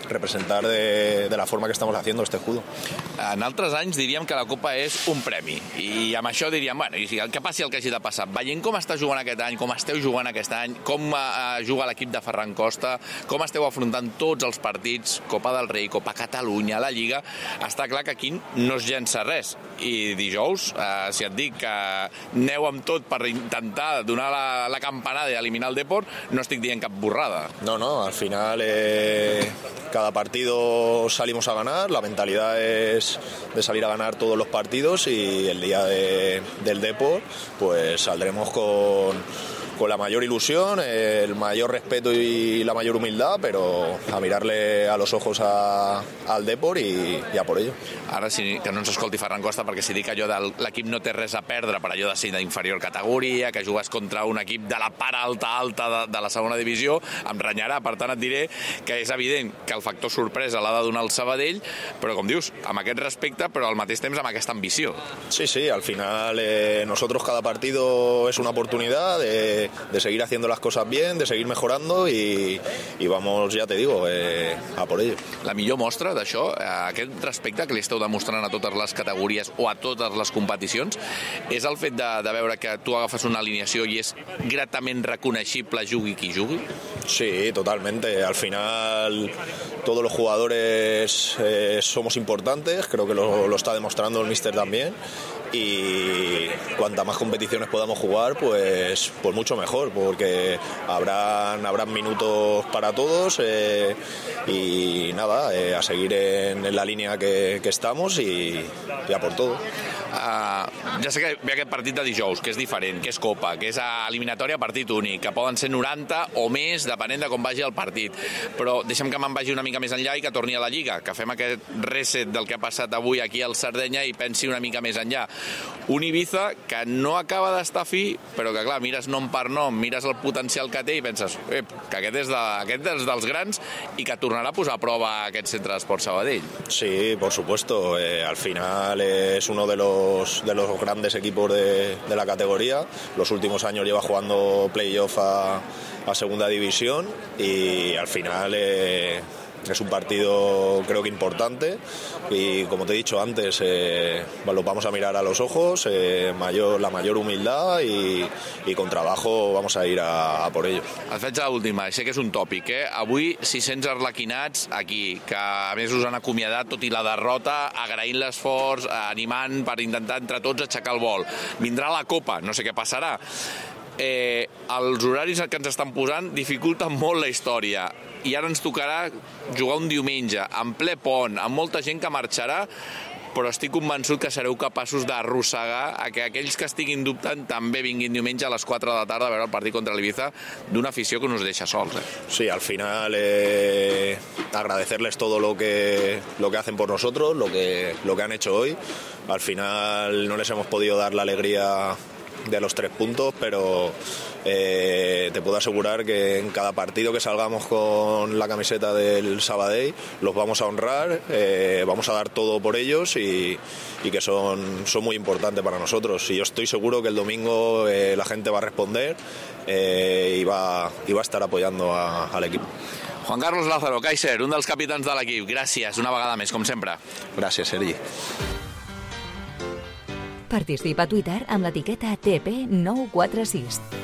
representar de la forma que estamos haciendo este escudo. En altres anys diríem que la Copa és un premi i amb això diríem, bueno, i el que passi el que hagi de passar. Veient com està jugant aquest any, com esteu jugant aquest any, com juga l'equip de Ferran Costa, com esteu afrontant tots els partits, Copa del Rei, Copa Catalunya, la Lliga, està clar que aquí no es llença res. I dijous, si et dic que aneu amb tot per intentar donar la campanada i eliminar el Depor, no estic dient cap borrada. No, al final cada partido salimos a ganar, la mentalidad es de salir a ganar todos los partidos y el día del Depor pues saldremos con la mayor ilusión, el mayor respeto y la mayor humildad, pero a mirarle a los ojos al Depor i a por ello. Ara sí que no ens escolti Ferran Costa, perquè si dic allò de l'equip no té res a perdre per allò de ser d'inferior categoria, que jugues contra un equip de la part alta de la segona divisió, em renyarà. Per tant et diré que és evident que el factor sorpresa l'ha de donar el Sabadell, però com dius, amb aquest respecte, però al mateix temps amb aquesta ambició. Sí, al final nosotros cada partido es una oportunidad de seguir haciendo las cosas bien, de seguir mejorando y vamos, ya te digo, a por ello. La millor mostra d'això, aquest respecte que li esteu demostrant a totes les categories o a totes les competicions, és el fet de veure que tu agafes una alineació i és gratament reconeixible jugui qui jugui? Sí, totalmente. Al final todos los jugadores somos importantes, creo que lo está demostrando el míster también. Y cuanta más competiciones podamos jugar, pues mucho mejor, porque habrán minutos para todos y nada, a seguir en la línea que estamos y a por todo. Ja sé que ve aquest partit de dijous, que és diferent, que és Copa, que és eliminatòria partit únic, que poden ser 90 o més, depenent de com vagi el partit. Però deixa'm que me'n vagi una mica més enllà i que torni a la Lliga, que fem aquest reset del que ha passat avui aquí al Sardenya i pensi una mica més enllà. Un Ibiza que no acaba d'estar fi, però que, clar, mires nom per nom, mires el potencial que té i penses que aquest és dels grans i que tornarà a posar a prova aquest centre d'esport Sabadell. Sí, por supuesto. Al final es uno de los grandes equipos de la categoría. Los últimos años lleva jugando playoff a segunda división y al final es un partido creo que importante y como te he dicho antes lo vamos a mirar a los ojos, la mayor humildad y con trabajo vamos a ir a por ello. Et faig l'última, sé que és un tòpic, Avui 600 arlequinats aquí, que a més us han acomiadat tot i la derrota, agraint l'esforç, animant per intentar entre tots aixecar el vol. Vindrà la Copa, no sé què passarà. els horaris que ens estan posant dificulten molt la història i ara ens tocarà jugar un diumenge, en ple pont, amb molta gent que marxarà, però estic convençut que sereu capaços d'arrossegar a que aquells que estiguin dubtant també vinguin diumenge a les 4 de la tarda a veure el partit contra l'Ibiza d'una afició que no us deixa sols. Sí, al final agradecerles todo lo que hacen por nosotros, lo que han hecho hoy. Al final no les hemos podido dar la alegría de los 3 puntos, pero te puedo asegurar que en cada partido que salgamos con la camiseta del Sabadell los vamos a honrar, vamos a dar todo por ellos y que son muy importantes para nosotros. Y yo estoy seguro que el domingo la gente va a responder y va a estar apoyando al equipo. Juan Carlos Lázaro, Kaiser, un dels capitans de l'equip. Gràcies, una vegada més, com sempre. Gràcies, Sergi. Participa a Twitter amb l'etiqueta TP946.